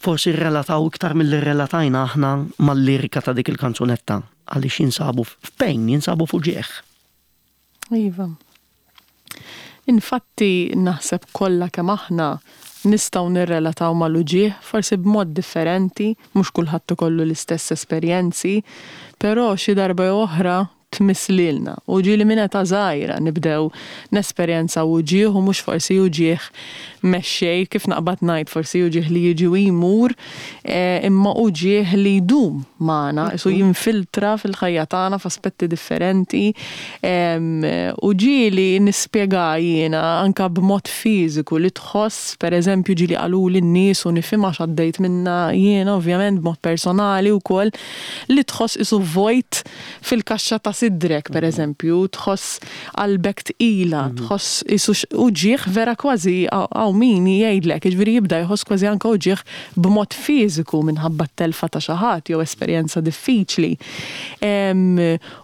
forsi rrelataw iktar milli rrelatajna aħna mal-lirika ta' dik il-kanzunetta għaliex jinsabu f'pain, jinsabu f'uġigħ. Iva. Infatti naħseb kollha kemm aħna nistgħu nirrelataw mal-uġigħ, forsi b'mod differenti, mhux kulħadd ikollu l-istess esperjenzi, però xi darba jew oħra tmiss lilna. U ġieli minn età żgħira nibdew nesperjenza uġigħ u mhux forsi uġigħ mexxej kif naqbad ngħid, forsi uġigħ li jiġi u jmur, eh, imma uġigħ li jdum magħna, isu jinfiltra fil-ħajja tagħna f'aspetti differenti. Em, U ġieli nispjega jiena anka b'mod fiżiku li tħoss, pereżempju ġieli qaluli n-nies u nifhimha x'għaddejt minna jiena ovvjament b'mod personali wkoll, li tħoss isu vojt fil-kaxxa ta' sidrek, pereżempju, tħoss qalbek tqila, tħoss isu x- uġigħ vera kważi hawn min jgħidlek, jiġifieri jibda jħoss kważi anke uġigħ b'mod fiżiku minħabba t-telfa ta' xi ħadd jew esperjenza diffiċli. Em,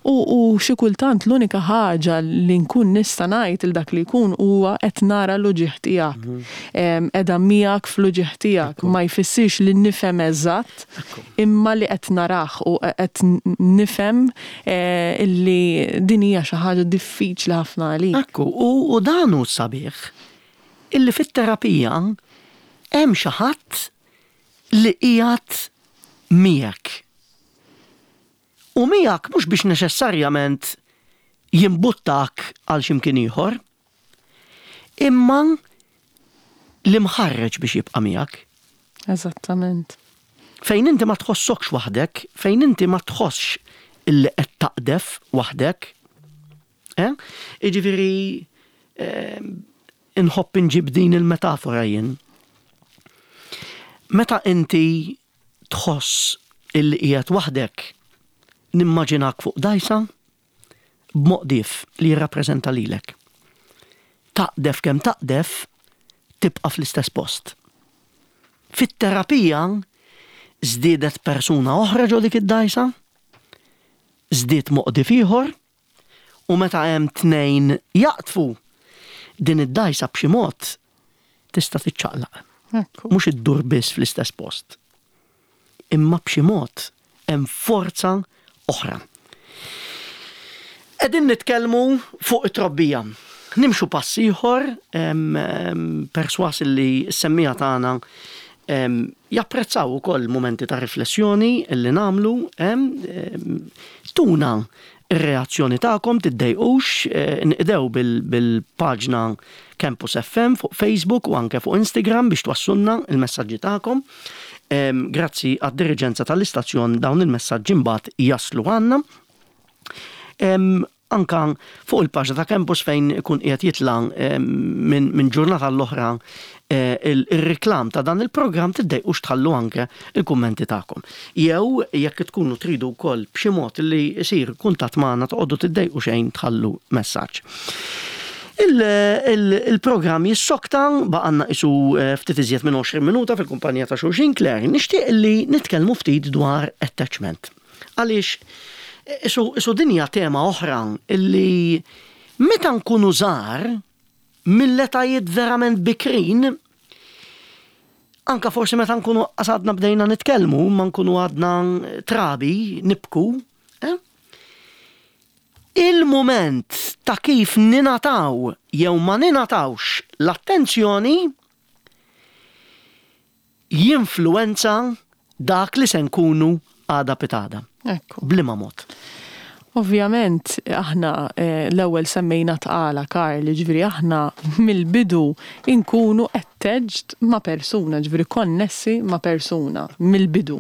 U, u xi kultant l-unika ħaġa li nkun nista' ngħid il dak li jkun huwa qed nara l-uġigħ tiegħek. Em, Qiegħda miegħek fl-uġigħ tiegħek, ma jfissirx li nifhem eżatt, imma li qed narah u qed nifhem eh, illi din hija xi ħaġa diffiċli ħafna għalik. Ekku, u, u dan hu sabiħ illi fit-terapija hemm xi ħadd li qiegħed miegħek. U miegħek mhux biex neċessarjament jimbuttak għal x'imkien ieħor, imma li mħarreġ biex jibqa' miegħek. Eżattament. Fejn inti ma tħossokx waħdek, fejn inti ma tħossx illi qed taqdef waħdek. Eh? Jiġifieri eh, inħobb inġib din il-metafora jien. Meta inti tħoss illi qiegħed waħdek, nimmaġinak fuq dajsa b'moqdief li jirrappreżenta lilek. Taqdef kemm taqdef, tibqa' fl-istess post. Fit-terapija żdiedet persuna oħra ġo dik id-dajsa, żdied moqdief ieħor, u meta hemm tnejn jaqtfu din id-dajsa b'xi mod tista' tiċċaqlaq. Mhux iddur biss fl-istess post. Imma b'xi mod hemm forza oħra. Qegħdin nitkellmu fuq it-trobbija. Nimxu pass ieħor, perswas li s-semmiegħa tagħna japprezzaw ukoll momenti ta' riflessjoni li nagħmlu, tuna ir-reazzjoni tagħkom, tiddejqux, nqdew bil-paġna Campus F M fuq Facebook u anke fuq Instagram biex twassulna il-messaġġi tagħkom. Grazzi għad-diriġenza tal-istazzjon dawn il-messaġġi mbagħad jaslu għandna. Anka fuq il-paġna ta' Campus fejn ikun qiegħed jitla' minn ġurnata l-oħra eh, il-reklam ta' dan il-programm, tiddejqux tħallu anke il-kummenti tagħkom. Jew jekk tkunu tridu wkoll b'xi mod li jsir kuntatt magħna, toqgħodu tiddejqu xejn tħallu messaġġ. Il-programm jissokta, baqgħalna qisu eh, ftit iżjed minn għoxrin minuta fil-kumpanija ta' xulxin. Claire, nixtieq li nitkellmu ftit dwar attachment. Għaliex isu dinja tema oħra illi meta nkunu żgħar, mill-etajiet verament bikrin, anka forsi meta nkunu għadna bdejna nitkellmu, ma nkunu għadna trabi, nibku, eh? Il-moment ta' kif ningħataw jew ma ningħatawx l-attenzjoni jinfluenza dak li se nkunu għada pitgħada. Ekku. B'liema mod? Ovvjament, aħna eh, l-ewwel semmejna tqala, Karl, ġifieri aħna mill-bidu inkunu attached ma' persuna, ġifieri konnessi ma' persuna mill-bidu.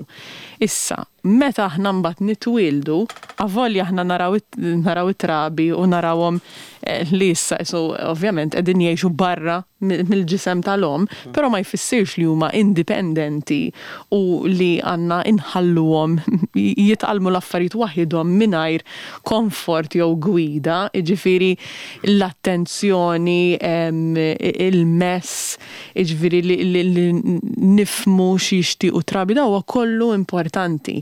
Issa, meta aħna mbagħad nitwieldu, avolja aħna naraw naraw it-trabi u narawhom eh, li issa isu ovvjament qegħdin jgħixu barra mill-ġisem tal-om, però ma jfissirx li huma indipendenti u li għandna inħalluhom jitgħallmu l-affarijiet waħidhom mingħajr komfort jew gwida, jiġifieri l-attenzjoni, il-mess, jiġifieri li, li nifhmu x'jixtiequ trabi, da huwa kollu importanti.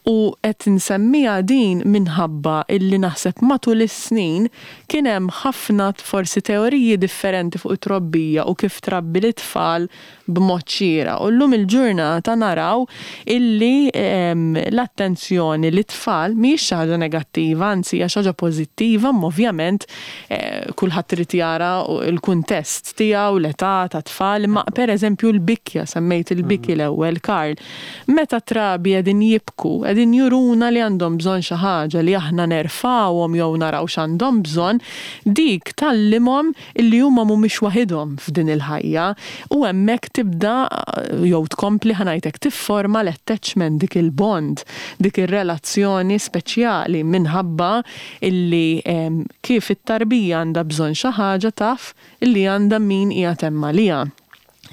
U qed nsemmiha din minħabba illi naħseb matul is-snin kien hemm ħafna forsi teoriji differenti fuq it-trobbija u kif trabbi l-tfal b'mod xieraq. U llum il-ġurnata naraw illi l-attenzjoni lit-tfal mhijiex xi ħaġa negattiva, anzi hija xi ħaġa pożittiva, ma ovvjament eh, kulħadd irid jara l-kuntest tiegħu, l-età ta' tfal, ma pereżempju l-bikja, semmejt il-biki mm. l-ewwel, Karl. Meta trabi qegħdin jibku, qegħdin juruna li għandhom bżonn xi ħaġa, li aħna nerfawhom jew naraw x'għandhom bżonn, dik tgħallimhom illi huma mhumiex waħidhom f'din il-ħajja u hemmhekk tibda jew tkompli, ħa ngħidlek, tifforma l-attachment, dik il-bond, dik ir-relazzjoni speċjali minħabba illi kif it-tarbija għandha bżonn xi ħaġa, taf illi għandha min qiegħed hemm għaliha.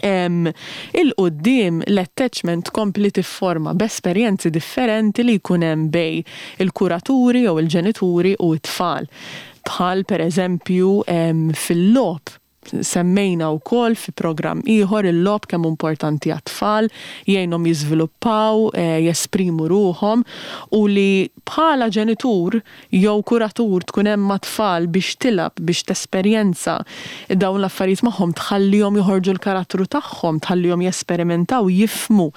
'Il quddiem l-attachment kompli tifforma b'esperjenzi differenti li jkun hemm bejn il-kuraturi jew il-ġenituri u t-tfal. Bħal per eżempju fil-logħob, semmejna wkoll fi programm ieħor il-logħob kemm importanti għat-tfal, jgħinhom jiżviluppaw, eh, jesprimu ruħhom u li bħala ġenitur jew kuratur tkun hemm mat-tfal biex tilgħab, biex tesperjenza dawn l-affarijiet magħhom, tħallihom joħorġu l-karattru tagħhom, tħallihom jesperimentaw, jifhmu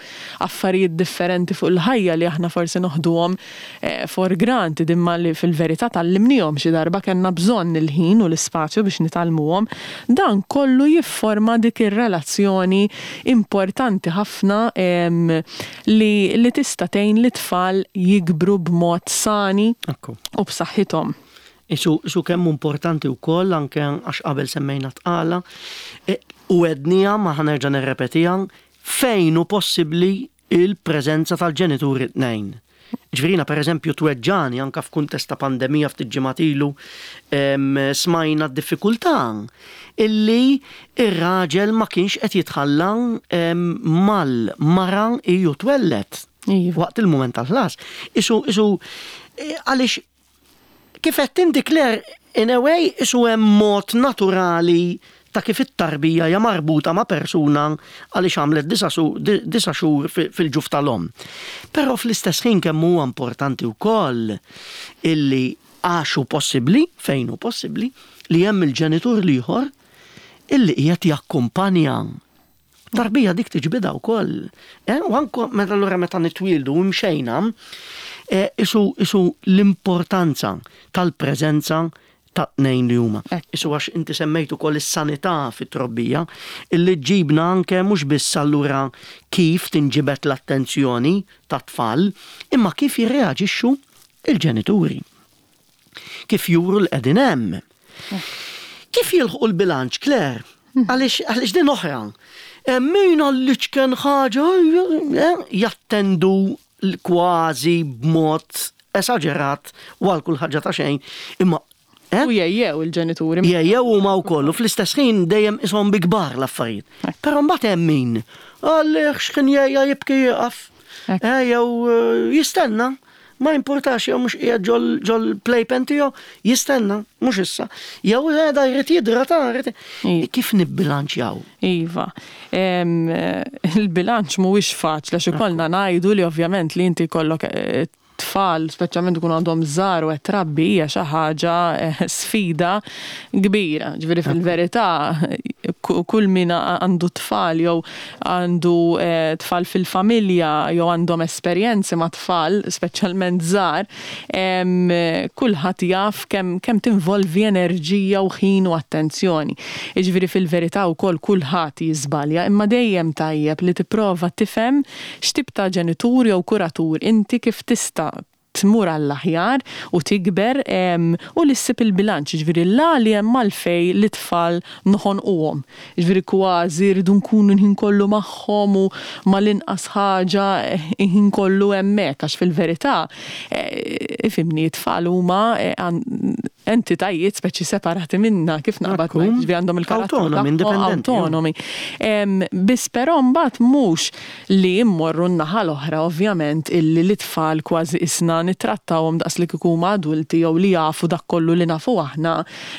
affarijiet differenti fuq il-ħajja li aħna forsi noħduhom eh, for granted, imma li fil-verità tgħallimnihom xi darba, kellna bżonn il-ħin u l-ispazju biex nitgħallmuhom. Dan kollu jifforma dik ir-relazzjoni importanti ħafna li, li tista' tgħin lit-tfal jikbru b'mod sani u b'saħħithom. Isu, isu kemm importanti wkoll anke għax qabel semmejna tqala e, u għednieha, ma ħa nerġa' nirrepetiha, fejn hu possibbli il-preżenza tal-ġenituri tnejn. Ġifieri, per eżempju, tweġġani anka f'kuntest ta' pandemija, ftit ġimgħat ilu smajna d-diffikultà illi ir-raġel ma kienx qed jitħalla mal-mara iju twellet Iva. waqt il-moment tal-ħlas. Isu, isu, e, għaliex kif qed inti, Claire, in a way, isu hemm mod naturali ta' kif it-tarbija hija marbuta ma' persuna għaliex għamlet disa' xhur fil-ġuf tal-om. Però fl-istess ħin kemm huwa importanti wkoll illi għax hu possibbli, fejn hu possibbli, li hemm il-ġenitur l-ieħor illi qiegħed jakkumpanja. Tarbija dik tiġbida wkoll. Eh, u anke meta allura meta nitwieldu u mxejna, eh, isu, isu l-importanza tal-preżenza ta' tnejn li huma. Isu għax inti semmejtu ukoll is-sanità fit-trobbija, illi ġibna anke mhux biss allura kif tinġibet l-attenzjoni ta' tfal, imma kif jirreaġixxu il-ġenituri. Kif juru l-qegħdin hemm. Kif jilħqu l-bilanċ, Claire? Għaliex għaliex din oħra. Min għall-iċken ħaġa eh, jattendu kważi b'mod esaġerat u għal kull ħaġa ta' xejn, imma eh? U jejjew il-ġenituri. Jejjew huma wkoll u fl-istess ħin dejjem ishom bi kbar l-affarijiet. Però mbagħad hemm min għalih x'kien jgħajja jibki jieqaf. Ekk. Eh, jew eh, jistenna, ma importax jew mhux qiegħed ġol ġol playpen tiegħu, jistenna, mhux issa. Jew da jrid jidra ta' jrid. Iva. Kif nibbilanċjaw? Iva. Em, eh, Il-bilanċ mhuwiex faċli għax ikollna ngħidu li ovvjament li inti jkollok eh, tfal, speċjalment ikunu għandhom żgħar u qed trabbi, hija xi ħaġa eh, sfida kbira. Ġifieri fil-verità ku- kull min għandu tfal jew għandu eh, tfal fil-familja jew għandhom esperjenzi ma' tfal, speċjalment żgħar, em, kulħadd jaf kemm kemm tinvolvi enerġija u ħin u attenzjoni. Jiġifieri fil-verità wkoll kulħadd jiżbalja, imma dejjem tajjeb li tipprova tifhem x'tip ta' ġenitur jew kuratur inti, kif tista' tmur għall-aħjar u tikber em, u li ssib il-bilanċ, ġifieri la li hemm għalfej li tfal noħonquhom. Ġifieri kważi rridu nkunu l-ħin kollu magħhom u mal-inqas ħaġa eh, ħin kollu hemmhekk, għax fil-verità eh, ifhimni, t-tfal huma eh, għan- entitajiet speċi separati minna, kif naqbad Ekku. ngħid, ġifieri għandhom il-karattru Autonomi, tagħhom, indipendenti, ja. autonomi. Em, Biss però mbagħad mhux li mmorru n-naħa l-oħra, ovvjament, illi l-itfal kważi isna nittrattawhom daqs li kieku huma adulti jew li jafu dak kollu li nafu aħna,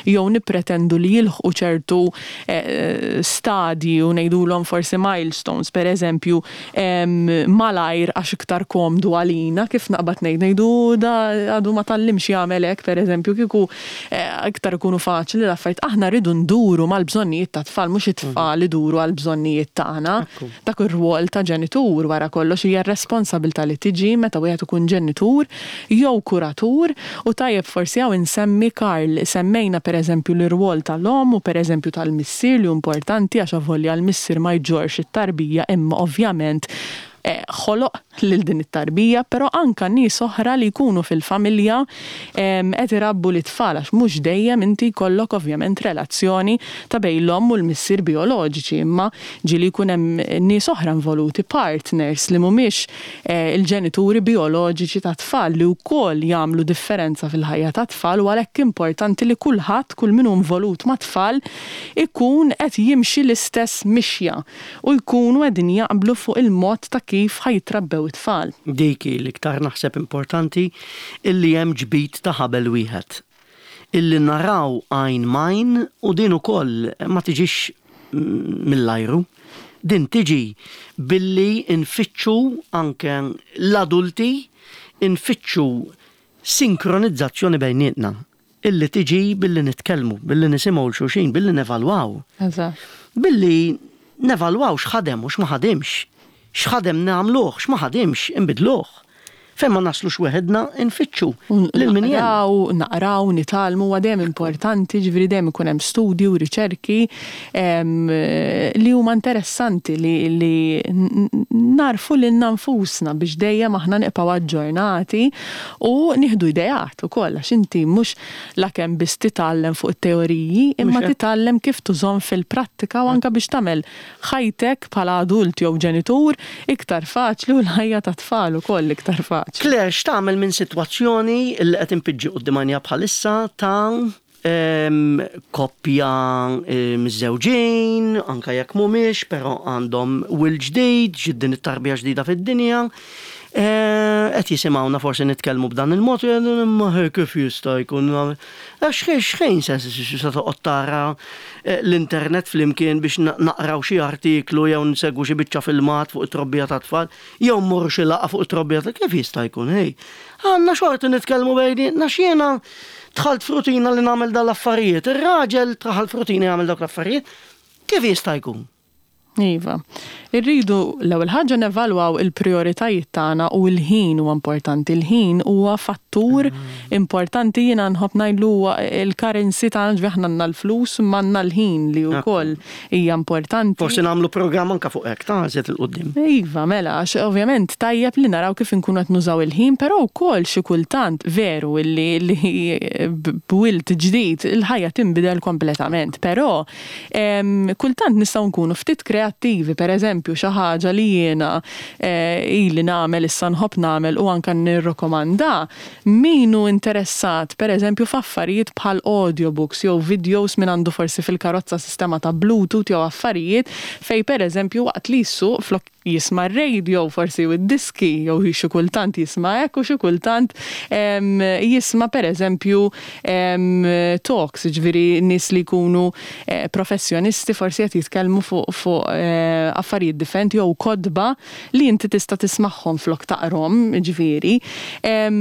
jew nippretendu li jilħqu ċertu eh, stadji u ngħidulhom forsi milestones, per eżempju, em, malajr għax iktar komdu għalina, kif naqbad ngħid, ngħidu da għadu ma tgħallimx jagħmel hekk, per eżempju, kieku eh, iktar ikunu faċli l-affarijiet. Aħna rridu nduru mal-bżonnijiet ta' tfal, mhux it-tfal iduru għall-bżonnijiet tagħna. Ekku. Dak ir-rwol ta' ġenitur wara kollox hija r-responsabilità li tiġi meta wieħed ikun ġenitur jew kuratur. U tajjeb forsi hawn insemmi, Karl, semmejna per eżempju l-irwol tal-om u per eżempju tal-missier, li hu importanti għax avolja l-missier ma jġorx it-tarbija, imma ovvjament eh, ħoloq lil din it-tarbija, però anka nies oħra li jkunu fil-familja em, qed irabbu l-itfal, għax mhux dejjem inti jkollok ovvjament relazzjoni ta' bejn l-omm u l-missier bioloġiċi, imma ġieli jkun hemm nies oħra involuti, partners li mhumiex eh, il-ġenituri bioloġiċi ta' tfal, li wkoll jagħmlu differenza fil-ħajja ta' tfal, u għalhekk importanti li kulħadd, kull min hu involut ma' tfal, ikun qed jimxi l-istess mixja u jkunu qegħdin jaqblu fuq il-mod ta' kif ħa jitrabbew it-tfal. Dik hi l-iktar naħseb importanti, illi hemm ġbid ta' ħabel wieħed. Illi naraw għajn m'għajn, u din ukoll ma tiġix mill-ajru. Din tiġi billi nfittxu anke l-adulti, nfittxu sinkronizzazzjoni bejnietna. Illi tiġi billi nitkellmu, billi nisimgħu 'l xulxin, billi nevalwaw. Eżatt. Billi nevalwaw x'ħadem u x'ma ħadimx. X'ħadem nagħmluh, x'ma ħadimx inbidluh. Fejn ma naslux weħedna, nfittxu lil min jgħin. Naqraw, naqraw, nitgħallmu, huwa dejjem importanti, ġifieri dejjem ikun hemm studji u riċerki em, li huma interessanti li, li n- n- narfu lilna nfusna biex dejjem aħna nibqgħu aġġornati u nieħdu ideat ukoll, għax inti mhux lakemm biss titgħallem fuq it-teoriji, imma Mhux hekk. titgħallem kif tużhom fil-prattika u anke biex tagħmel ħajtek bħala adult jew ġenitur iktar faċli u l-ħajja ta' tfal ukoll iktar faċli. faċli. Claire, x'tagħmel minn sitwazzjoni li qed inpiġġi quddiem għajnija bħalissa ta' em, koppja miżżewġin, anka jekk mhumiex, però għandhom wild ġdid, ġiet din it-tarbija ġdida fid-dinja. Eh, Qed jisimgħuna forsi nitkellmu b'dan il-mod, jgħidu imma he, kif jista' jkun għax xejn se se toqgħod tara eh, l-internet flimkien biex na- naqraw xi artiklu jew nsegwu xi biċċa filmat fuq it-trobbija ta' tfal, jew mmorru xi laqgħa fuq it-trobbija ta' kif jista' jkun, hej. Għandna xorti nitkellmu bejnietna x'jiena dħalt f'rutina li nagħmel dal-affarijiet, ir-raġel dħal f'rutina jagħmel dawk l-affarijiet, kif jista' jkun? Iva. Irridu l-ewwel ħaġa nevalwaw il-prioritajiet tagħna u l-ħin huwa importanti. Il-ħin huwa fattur importanti, jiena nħobb ngħidlu huwa il-currency tagħna, ġifieri aħna għandna l-flus imma għandna l-ħin li wkoll hija importanti. Forsi nagħmlu programm anka fuq hekk ta' żied il-qudiem. Iva, mela, għax ovvjament tajjeb li naraw kif inkunu qed nużaw il-ħin, però wkoll xi kultant veru li li b'wild ġdid il-ħajja tinbidel kompletament, però em, kultant nistgħu nkunu ftit kreattivi, per eżempju xi ħaġa li jiena eh, ili nagħmel issa nħobb nagħmel u anke nirrokomanda min hu interessat per eżempju f'affarijiet bħal audiobooks jew videos, min għandu forsi fil-karozza sistema ta' Bluetooth jew affarijiet fej per eżempju waqt li jsuq flok jisma' radio forsi u d-diski jew xi kultant jisma' hekk u xi kultant em, jisma' per eżempju em, talks, ġifieri nies li jkunu eh, professjonisti forsi qed jitkellmu fuq fuq eh, affarijiet differenti jew kotba li inti tista' tismagħhom flok taqrom, ġifieri. Em,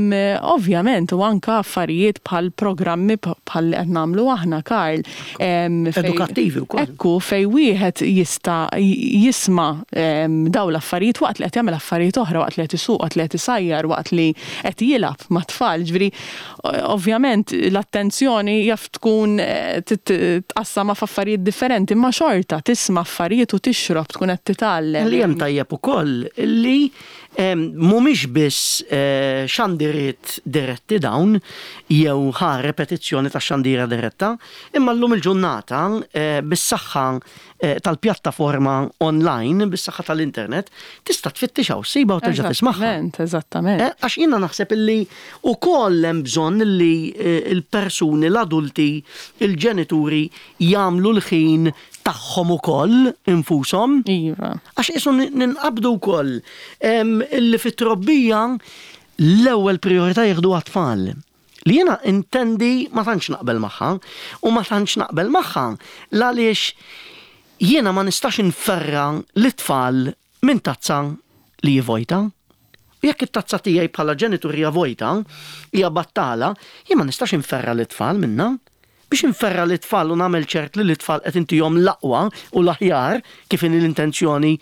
Ovvjament u anka affarijiet bħal programmi bħal li qed nagħmlu aħna, Karl. em, fej- Edukattivi wkoll. Ekku, fej wieħed jista' jisma' em, daw l-affarijiet waqt li qed jagħmel affarijiet oħra, waqt li qed isuq, waqt li qed isajjar, waqt li qed jilgħab mat-tfal. Ġifieri, ovvjament l-attenzjoni jaf tkun eh, tit- tqassama f'affarijiet differenti, imma xorta tisma' affarijiet u tixrob, tkun qed titgħallem. Li hemm tajjeb ukoll li em, mhumiex biss eh, xandiriet diretti dawn jew ħa repetizzjoni ta' xandira diretta, imma llum il-ġurnata eh, bis-saħħa eh, tal-pjattaforma online, bis-saħħa tal-internet, tista' tfittixha u ssibha u terġa' tismagħha. Eżattament, eżattament. Eh, Għax jiena naħseb illi ukoll hemm bżonn illi eh, il-persuni, l-adulti, il-ġenituri jagħmlu l-ħin tagħhom ukoll infushom. Iva. Għax isu ninqabdu wkoll em, illi fit-trobbija l-ewwel priorità jieħdu għat-tfal. Li jiena intendi ma tantx naqbel magħha u ma tantx naqbel magħha għaliex jiena ma nistax inferra l-tfal minn tazza li hi vojta. U jekk it-tazza tiegħi bħala ġenitur hija vojta, hija battala, jien ma nistax inferra l-tfal minna. Biex inferra l-tfal u nagħmel ċert li l-tfal qed intihom l-aqwa u l-aħjar kif inhi l-intenzjoni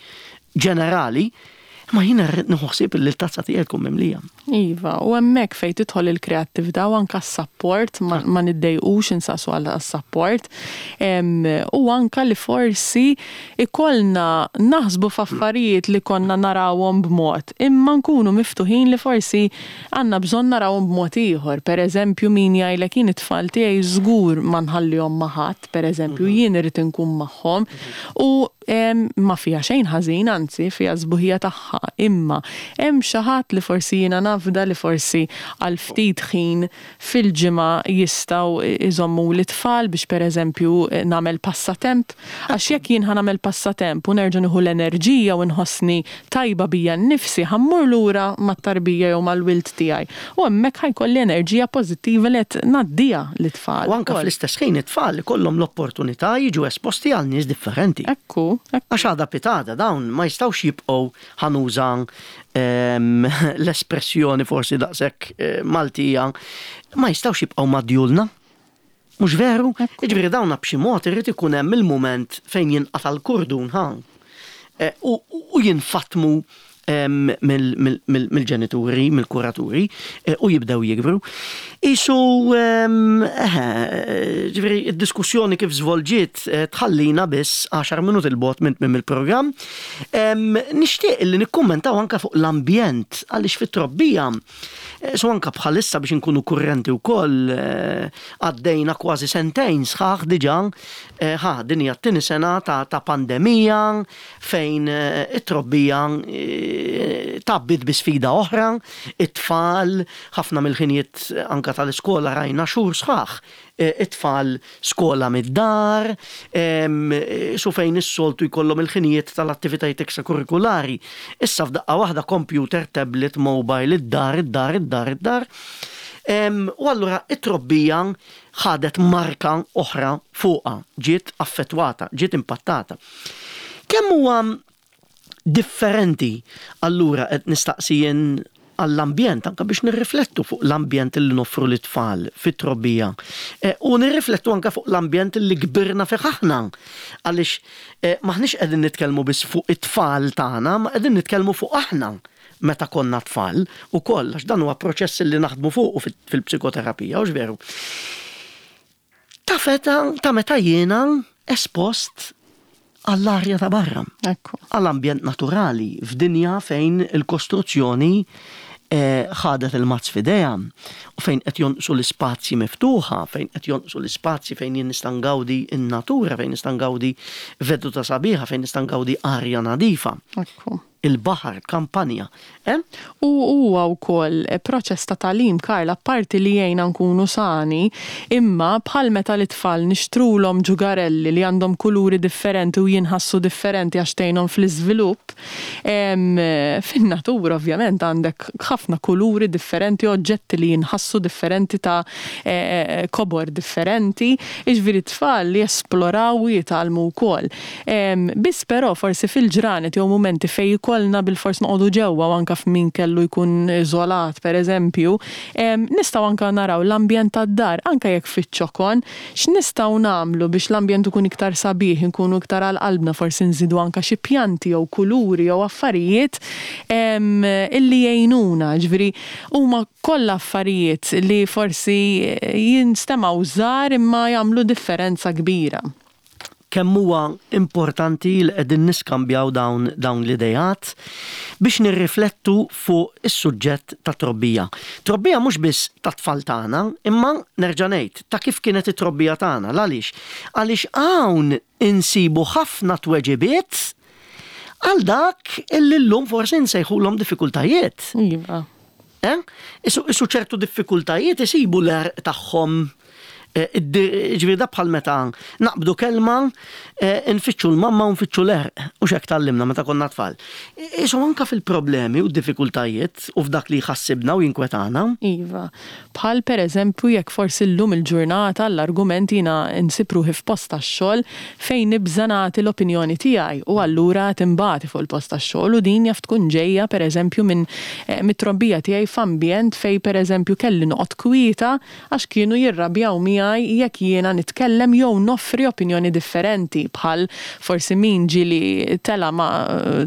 ġenerali, ma jiena rrid nieħu ħsieb li l-tazza tiegħi tkun mimlija. Iva, u hemmhekk fejn tidħol il-kreattività u anka s-support, ma, ma niddejqux insaqsu għal support. Em, u anka li forsi ikollna naħsbu f'affarijiet li konna narawhom b'mod, imma nkunu miftuħin li forsi għandna bżonn narawhom b'mod ieħor. Per eżempju, min jgħidlek jien it-tfal tiegħi żgur ma nħallihom ma' ħadd, per eżempju, jien irid inkun magħhom. U em, ma fiha xejn ħażin, anzi fiha sbuħija tagħha, imma hemm xi ħadd li forsi jiena nafda li forsi għal ftit ħin fil-ġimgħa jistgħu iżommu l-tfal biex pereżempju nagħmel passatemp, għax jekk jien ħa nagħmel passatemp u nerġa' nieħu l-enerġija u nħossni tajba bija nnifsi, ħa mmur lura mat-tarbija jew mal-wild tiegħi. U hemmhekk ħa jkolli enerġija pożittiva li qed ngħaddiha lit-tfal. U anka ukoll. fl-istess ħin it-tfal ikollhom l-opportunità jiġu esposti għal nies differenti. Ekku, ekku. Għax għada pitgħada dawn ma jistgħux jibqgħu, ħa nuża em, l-espressjoni forsi daqshekk eh, Maltija, ma jistgħux jibqgħu madjulna. Mhux veru? Jiġifieri dawna b'xi mod irid ikun hemm il-mument fejn jinqata' l-kurdun ħa. Eh, U u jinfatmu em, mill- mill- mill- mill-ġenituri, mill-kuraturi, eh, u jibdew jikbru. Isu, em, eh, ġifieri, id-diskussjoni kif żvolġiet eh, tħallina biss għaxar minuti 'l bogħod minn tmiem il-programm. Em, Nixtieq li nikkummentaw anka fuq l-ambjent, għaliex fit-trobbija, eh, so anka bħalissa biex nkunu kurrenti wkoll, eh, għaddejna kważi sentejn sħaħ diġà, eh, ħa din hija t-tieni sena ta', ta' pandemija fejn eh, it-trobbija eh, Tgħabbiet bi sfida oħra, it-tfal, ħafna mill-ħinijiet anka tal-iskola rajna xhur sħaħ, it-tfal skola mid-dar, su fejn is-soltu jkollhom il-ħinijiet tal-attivitajiet ekstrakurrikulari. Issa f'daqqa waħda computer, tablet, mobile, id-dar, id-dar, id-dar, id-dar. U allura it-trobbija ħadet marka oħra fuqha, ġiet affettwata, ġiet impattata. Kemm huwa differenti allura, qed nistaqsi jien għall-ambjent, anka biex nirriflettu fuq l-ambjent li noffru lit-tfal fit-trobbija. U nirriflettu anka fuq l-ambjent li kbirna fih aħna. Għaliex maħniex qegħdin nitkellmu biss fuq it-tfal tagħna, ma qegħdin nitkellmu fuq aħna meta konna tfal u koll, għax dan huwa proċess li naħdmu fuq fil-psikoterapija, u veru. Ta' feta, ta' meta jiena espost għall-arja ta' barra. Għall-ambjent naturali, f'dinja fejn il-kostruzzjoni ħadet il-mazz f'idejha, u fejn qed jonqsu l-ispazji miftuħa, fejn qed jonqsu l-ispazji fejn jien nista' ngawdi n-natura, fejn nista' ngawdi veduta sabiħa, fejn nista' ngawdi arja nadifa. Il-baħar, kampanja. U huwa wkoll proċess ta' tagħlim, Karl, apparti li jgħinna nkunu sani, imma bħal meta l-itfal nixtrulhom ġugarelli li għandhom kuluri differenti u jinħassu differenti għax tgħinhom fl-iżvilupp, fin-natura ovvjament għandek ħafna kuluri differenti, oġġetti li jinħassu differenti ta' kobor differenti, jiġifieri tfal li jesploraw u jitgħallmu wkoll. Biss però forsi fil-ġranet jew mumenti fejn kollna bil-fors noqogħdu ġewwa, u anka f'min kellu jkun iżolat pereżempju, nistgħu anka naraw l-ambjent tad-dar, anka jekk fiċ-ċokon, x'nistgħu nagħmlu biex l-ambjent ikun iktar sabiħ, inkunu iktar għal qalbna, forsi nżidu anka xi pjanti jew kuluri jew affarijiet illi jgħinuna, ġifieri huma kollha affarijiet li forsi jinstemgħu żgħar imma jagħmlu differenza kbira. Kemm huwa importanti li qegħdin niskambjaw dawn, dawn l-idejat biex nirriflettu fuq is-suġġett ta' trobbija. Trobbija mhux biss ta' tfal tagħna, imma nerġa' ngħid ta' kif kienet it-trobbija tagħna. Għaliex? Għaliex hawn insibu ħafna tweġibiet għal dak illi llum forsi nsejħulhom diffikultajiet. Iva. Eh? Isu, isu ċertu diffikultajiet isibu l-għerq tagħhom. Ġifieri da bħal meta naqbdu kelma, nfittxu l-mamma u nfittxu l-għerq, u x'hekk tgħallimna meta konna tfal. Isu anka fil-problemi u d-diffikultajiet u f'dak li jħassibna u jinkwetana. Iva, bħal per eżempju jekk forsi llum il-ġurnata l-argument jiena nsib ruħi f'post tax-xogħol fejn nibża' nagħti l-opinjoni tiegħi u allura timbati fuq il-post tax-xogħol, u din jaf tkun ġejja per eżempju minn mit-trobbija tiegħi f'ambjent fejn per eżempju kelli noqgħod kwieta għax kienu jirrabjaw miegħi jekk jiena nitkellem jew noffri opinjoni differenti, bħal forsi min ġieli tela ma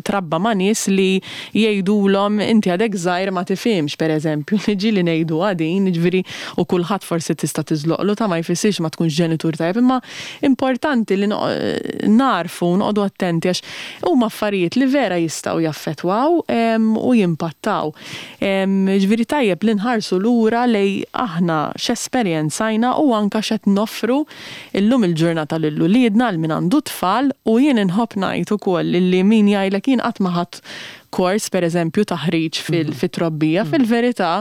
trabba ma' nies li jgħidulhom inti għadek żgħir ma tifhimx, per eżempju, li ġieli ngħidu għadin, jiġifieri, u kulħadd forsi tista' tiżloqlu ta' ma jfissirx ma tkunx ġenitur tajjeb, imma importanti li narfu noqogħdu attenti għax huma affarijiet li vera jistgħu jaffettwaw u jimpattaw. Jiġifieri tajjeb li nħarsu lura lej aħna x'esperjenzajna u anka x'qed noffru illum il-ġurnata lil uliedna għal min għandu tfal. U jien inħobb ngħid ukoll li min jgħidlek jien qatt ma ħadt kors per eżempju taħriġ fit-trobbija, fil-verità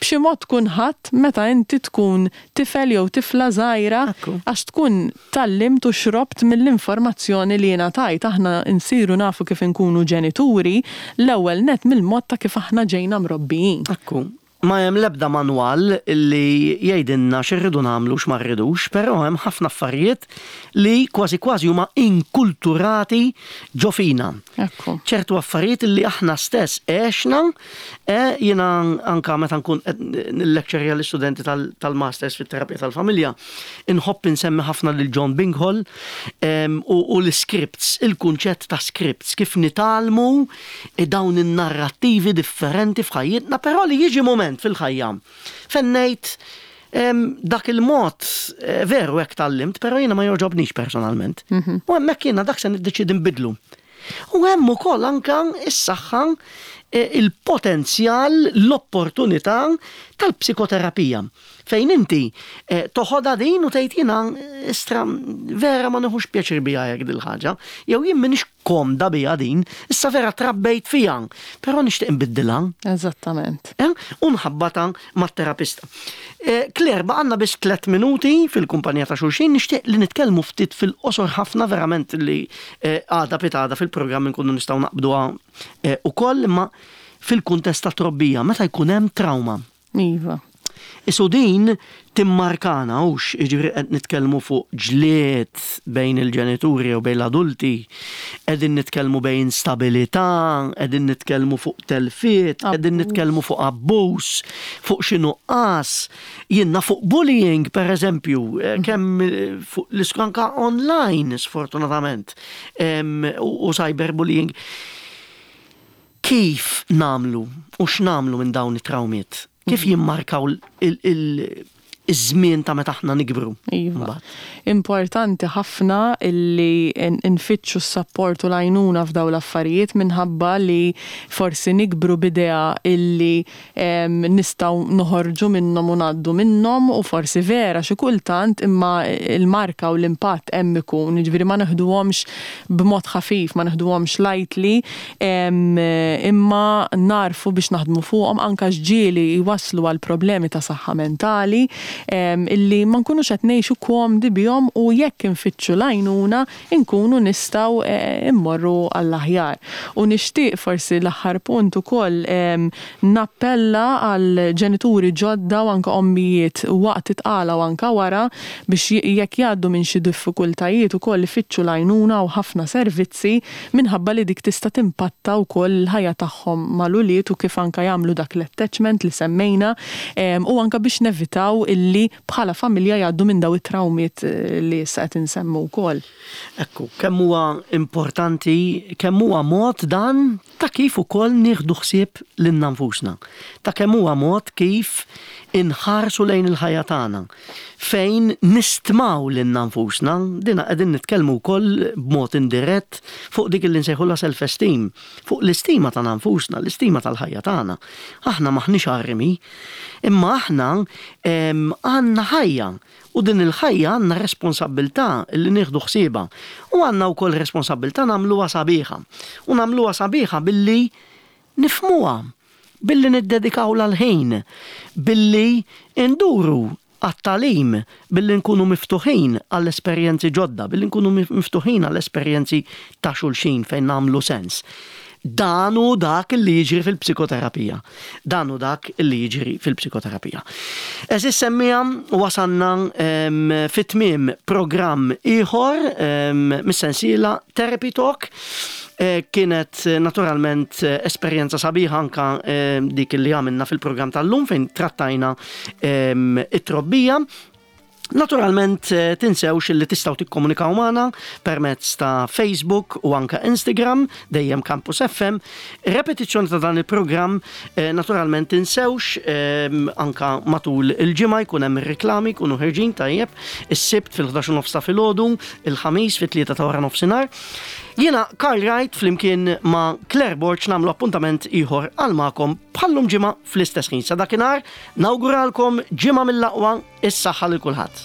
b'xi mod tkun ħadd meta inti tkun tifel jew tifla żgħira għax tkun tgħallimt u xrobt mill-informazzjoni li ngħatajt. Aħna nsiru nafu kif inkunu ġenituri l-ewwel net mill-mod ta' kif aħna ġejna mrobbijin. Ekku. Ma hemm l-ebda manwal li jgħidilna x'irridu nagħmlu x'ma rridux, però hemm ħafna affarijiet li kważi kważi huma inkulturati ġo fina. Ekku. Ċertu affarijiet li aħna stess għexna, jiena anka meta nkun qed nillecturja l-istudenti tal-masters fit-terapija tal-familja, inħobb insemmi ħafna lil John Binghall u, u l-scripts, il-kunċett ta' scripts, kif nitgħallmu dawn in-narrattivi differenti f'ħajjitna, però li jiġi moment fil-ħajja. Fejn ngħid dak il-mod veru hekk tgħallimt, però jiena ma jogħġobnix personalment. Mhm. U hemmhekk jiena dak se niddeċidi nbidlu. U hemm ukoll anka s-saħħa eh, il-potenzjal, l-opportunità tal-psikoterapija. Fejn inti eh, toħodha din u tgħid jiena eh, istra vera ma nieħux pjaċir biha hekk dil-ħaġa, jew jien m'iniex komda biha din, issa vera trabbejt fiha, però nixtieq nbiddilha. Eżattament. Eh, u nħabbata mat-terapista. Eh, Claire, baqgħalna biss tliet minuti fil-kumpanija ta' xulxin, nixtieq li nitkellmu ftit fil-qosor ħafna verament li eh, għada pitgħada fil-programm nkunu nistgħu naqbduha eh, ukoll, imma fil-kuntest ta' trobbija, meta jkun hemm trauma. Iva. Isu din timmarkana hux, jiġifieri qed nitkellmu fuq ġlied bejn il-ġenituri u bejn l-adulti, qegħdin nitkellmu bejn instabilità, qegħdin nitkellmu fuq telfiet, qegħdin Abbuż. nitkellmu fuq abbuż, fuq xi nuqqas, jiena fuq bullying per eżempju, eh, kemm eh, fuq l-iskanka online sfortunatament, em, u u cyberbullying. Kif nagħmlu u x'nagħmlu minn dawn it-trawmiet? Kif jimmarkaw il- il- iż-żmien ta' meta aħna nikbru? Iva. Mbagħad. Importanti ħafna illi n- nfittxu s-support u l-għajnuna f'daw l-affarijiet minħabba li forsi nikbru b'idea illi em, nistgħu noħorġu minnhom u ngħaddu minnhom u forsi vera xi kultant imma il-marka u l-impatt hemm ikun, jiġifieri ma neħduhomx b'mod ħafif, ma neħduhomx lightly, em, imma narfu biex naħdmu fuqhom anka ġieli jwaslu għal problemi ta' saħħa mentali em, illi ma nkunux qed ngħixu komdi bihom u jekk infittxu l-għajnuna nkunu nistgħu eh, immorru għall-aħjar. U nixtieq forsi l-aħħar punt ukoll em, nappella għal ġenituri ġodda u anka ommijiet waqt it-tqala u anka wara biex jekk jgħaddu minn xi diffikultajiet ukoll ifittxu l-għajnuna u ħafna servizzi minħabba li dik tista' timpatta wkoll il-ħajja tagħhom mal-ulied u kif anka jagħmlu dak l-attachment li semmejna em, u anka biex nevitaw illi bħala familja jgħaddu minn daw it-trawmiet eh, li issa qed insemmu wkoll. Ekku, kemm huwa importanti, kemm huwa mod dan ta' kif ukoll nieħdu ħsieb lilna nfusna. Ta' kemm huwa mod kif inħarsu lejn il-ħajja tagħna. Fejn nistmaw lilna nfusna, dina qegħdin nitkellmu wkoll b'mod indirett fuq dik li nsejħulha self-esteem, fuq l-istima tagħna nfusna, l-istima tal-ħajja tagħna. Aħna maħniex armi, imma aħna em, għandna ħajja u din il-ħajja għandna responsabbiltà li nieħdu ħsiebha. U għandna wkoll responsabbiltà nagħmluha sabiħa. U nagħmluha sabiħa billi nifhmuha, billi niddedikaw l-ħin, billi nduru għat-tagħlim, billi nkunu miftuħin għall-esperjenzi ġodda, billi nkunu miftuħin għall-esperjenzi ta' xulxin fejn nagħmlu sens. Dan hu dak li jiġri fil-psikoterapija. Dan hu dak li jiġri fil-psikoterapija. Għeżież semmiegħa wasanna em, fit-tmiem programm ieħor em, mis-sensiela Therapy Talk. Eh, Kienet eh, naturalment eh, esperjenza sabiħa anka eh, dik li għamilna fil-programm tal-lum fejn trattajna em, it-trobbija. Naturalment eh, tinsewx li tistgħu tikkomunikaw magħna permezz ta' Facebook u anka Instagram, dejjem Campus F M. Repetizzjoni ta' dan il-programm eh, naturalment tinsewx eh, anka matul il-ġimgħa jkun hemm ir-reklami jkunu ħerġin tajjeb, is-Sibt fil-ħdax u nofs ta' filgħodu, il-Ħamis fit-tlieta ta' wara nofsinhar. Jiena Karl Wright flimkien ma' Claire Borg nagħmlu appuntament ieħor għal magħkom bħallum ġimgħa fl-istess ħin. Sa dakinhar nawguralkom ġimgħa mill-aqwa, is-saħħa lil kulħadd.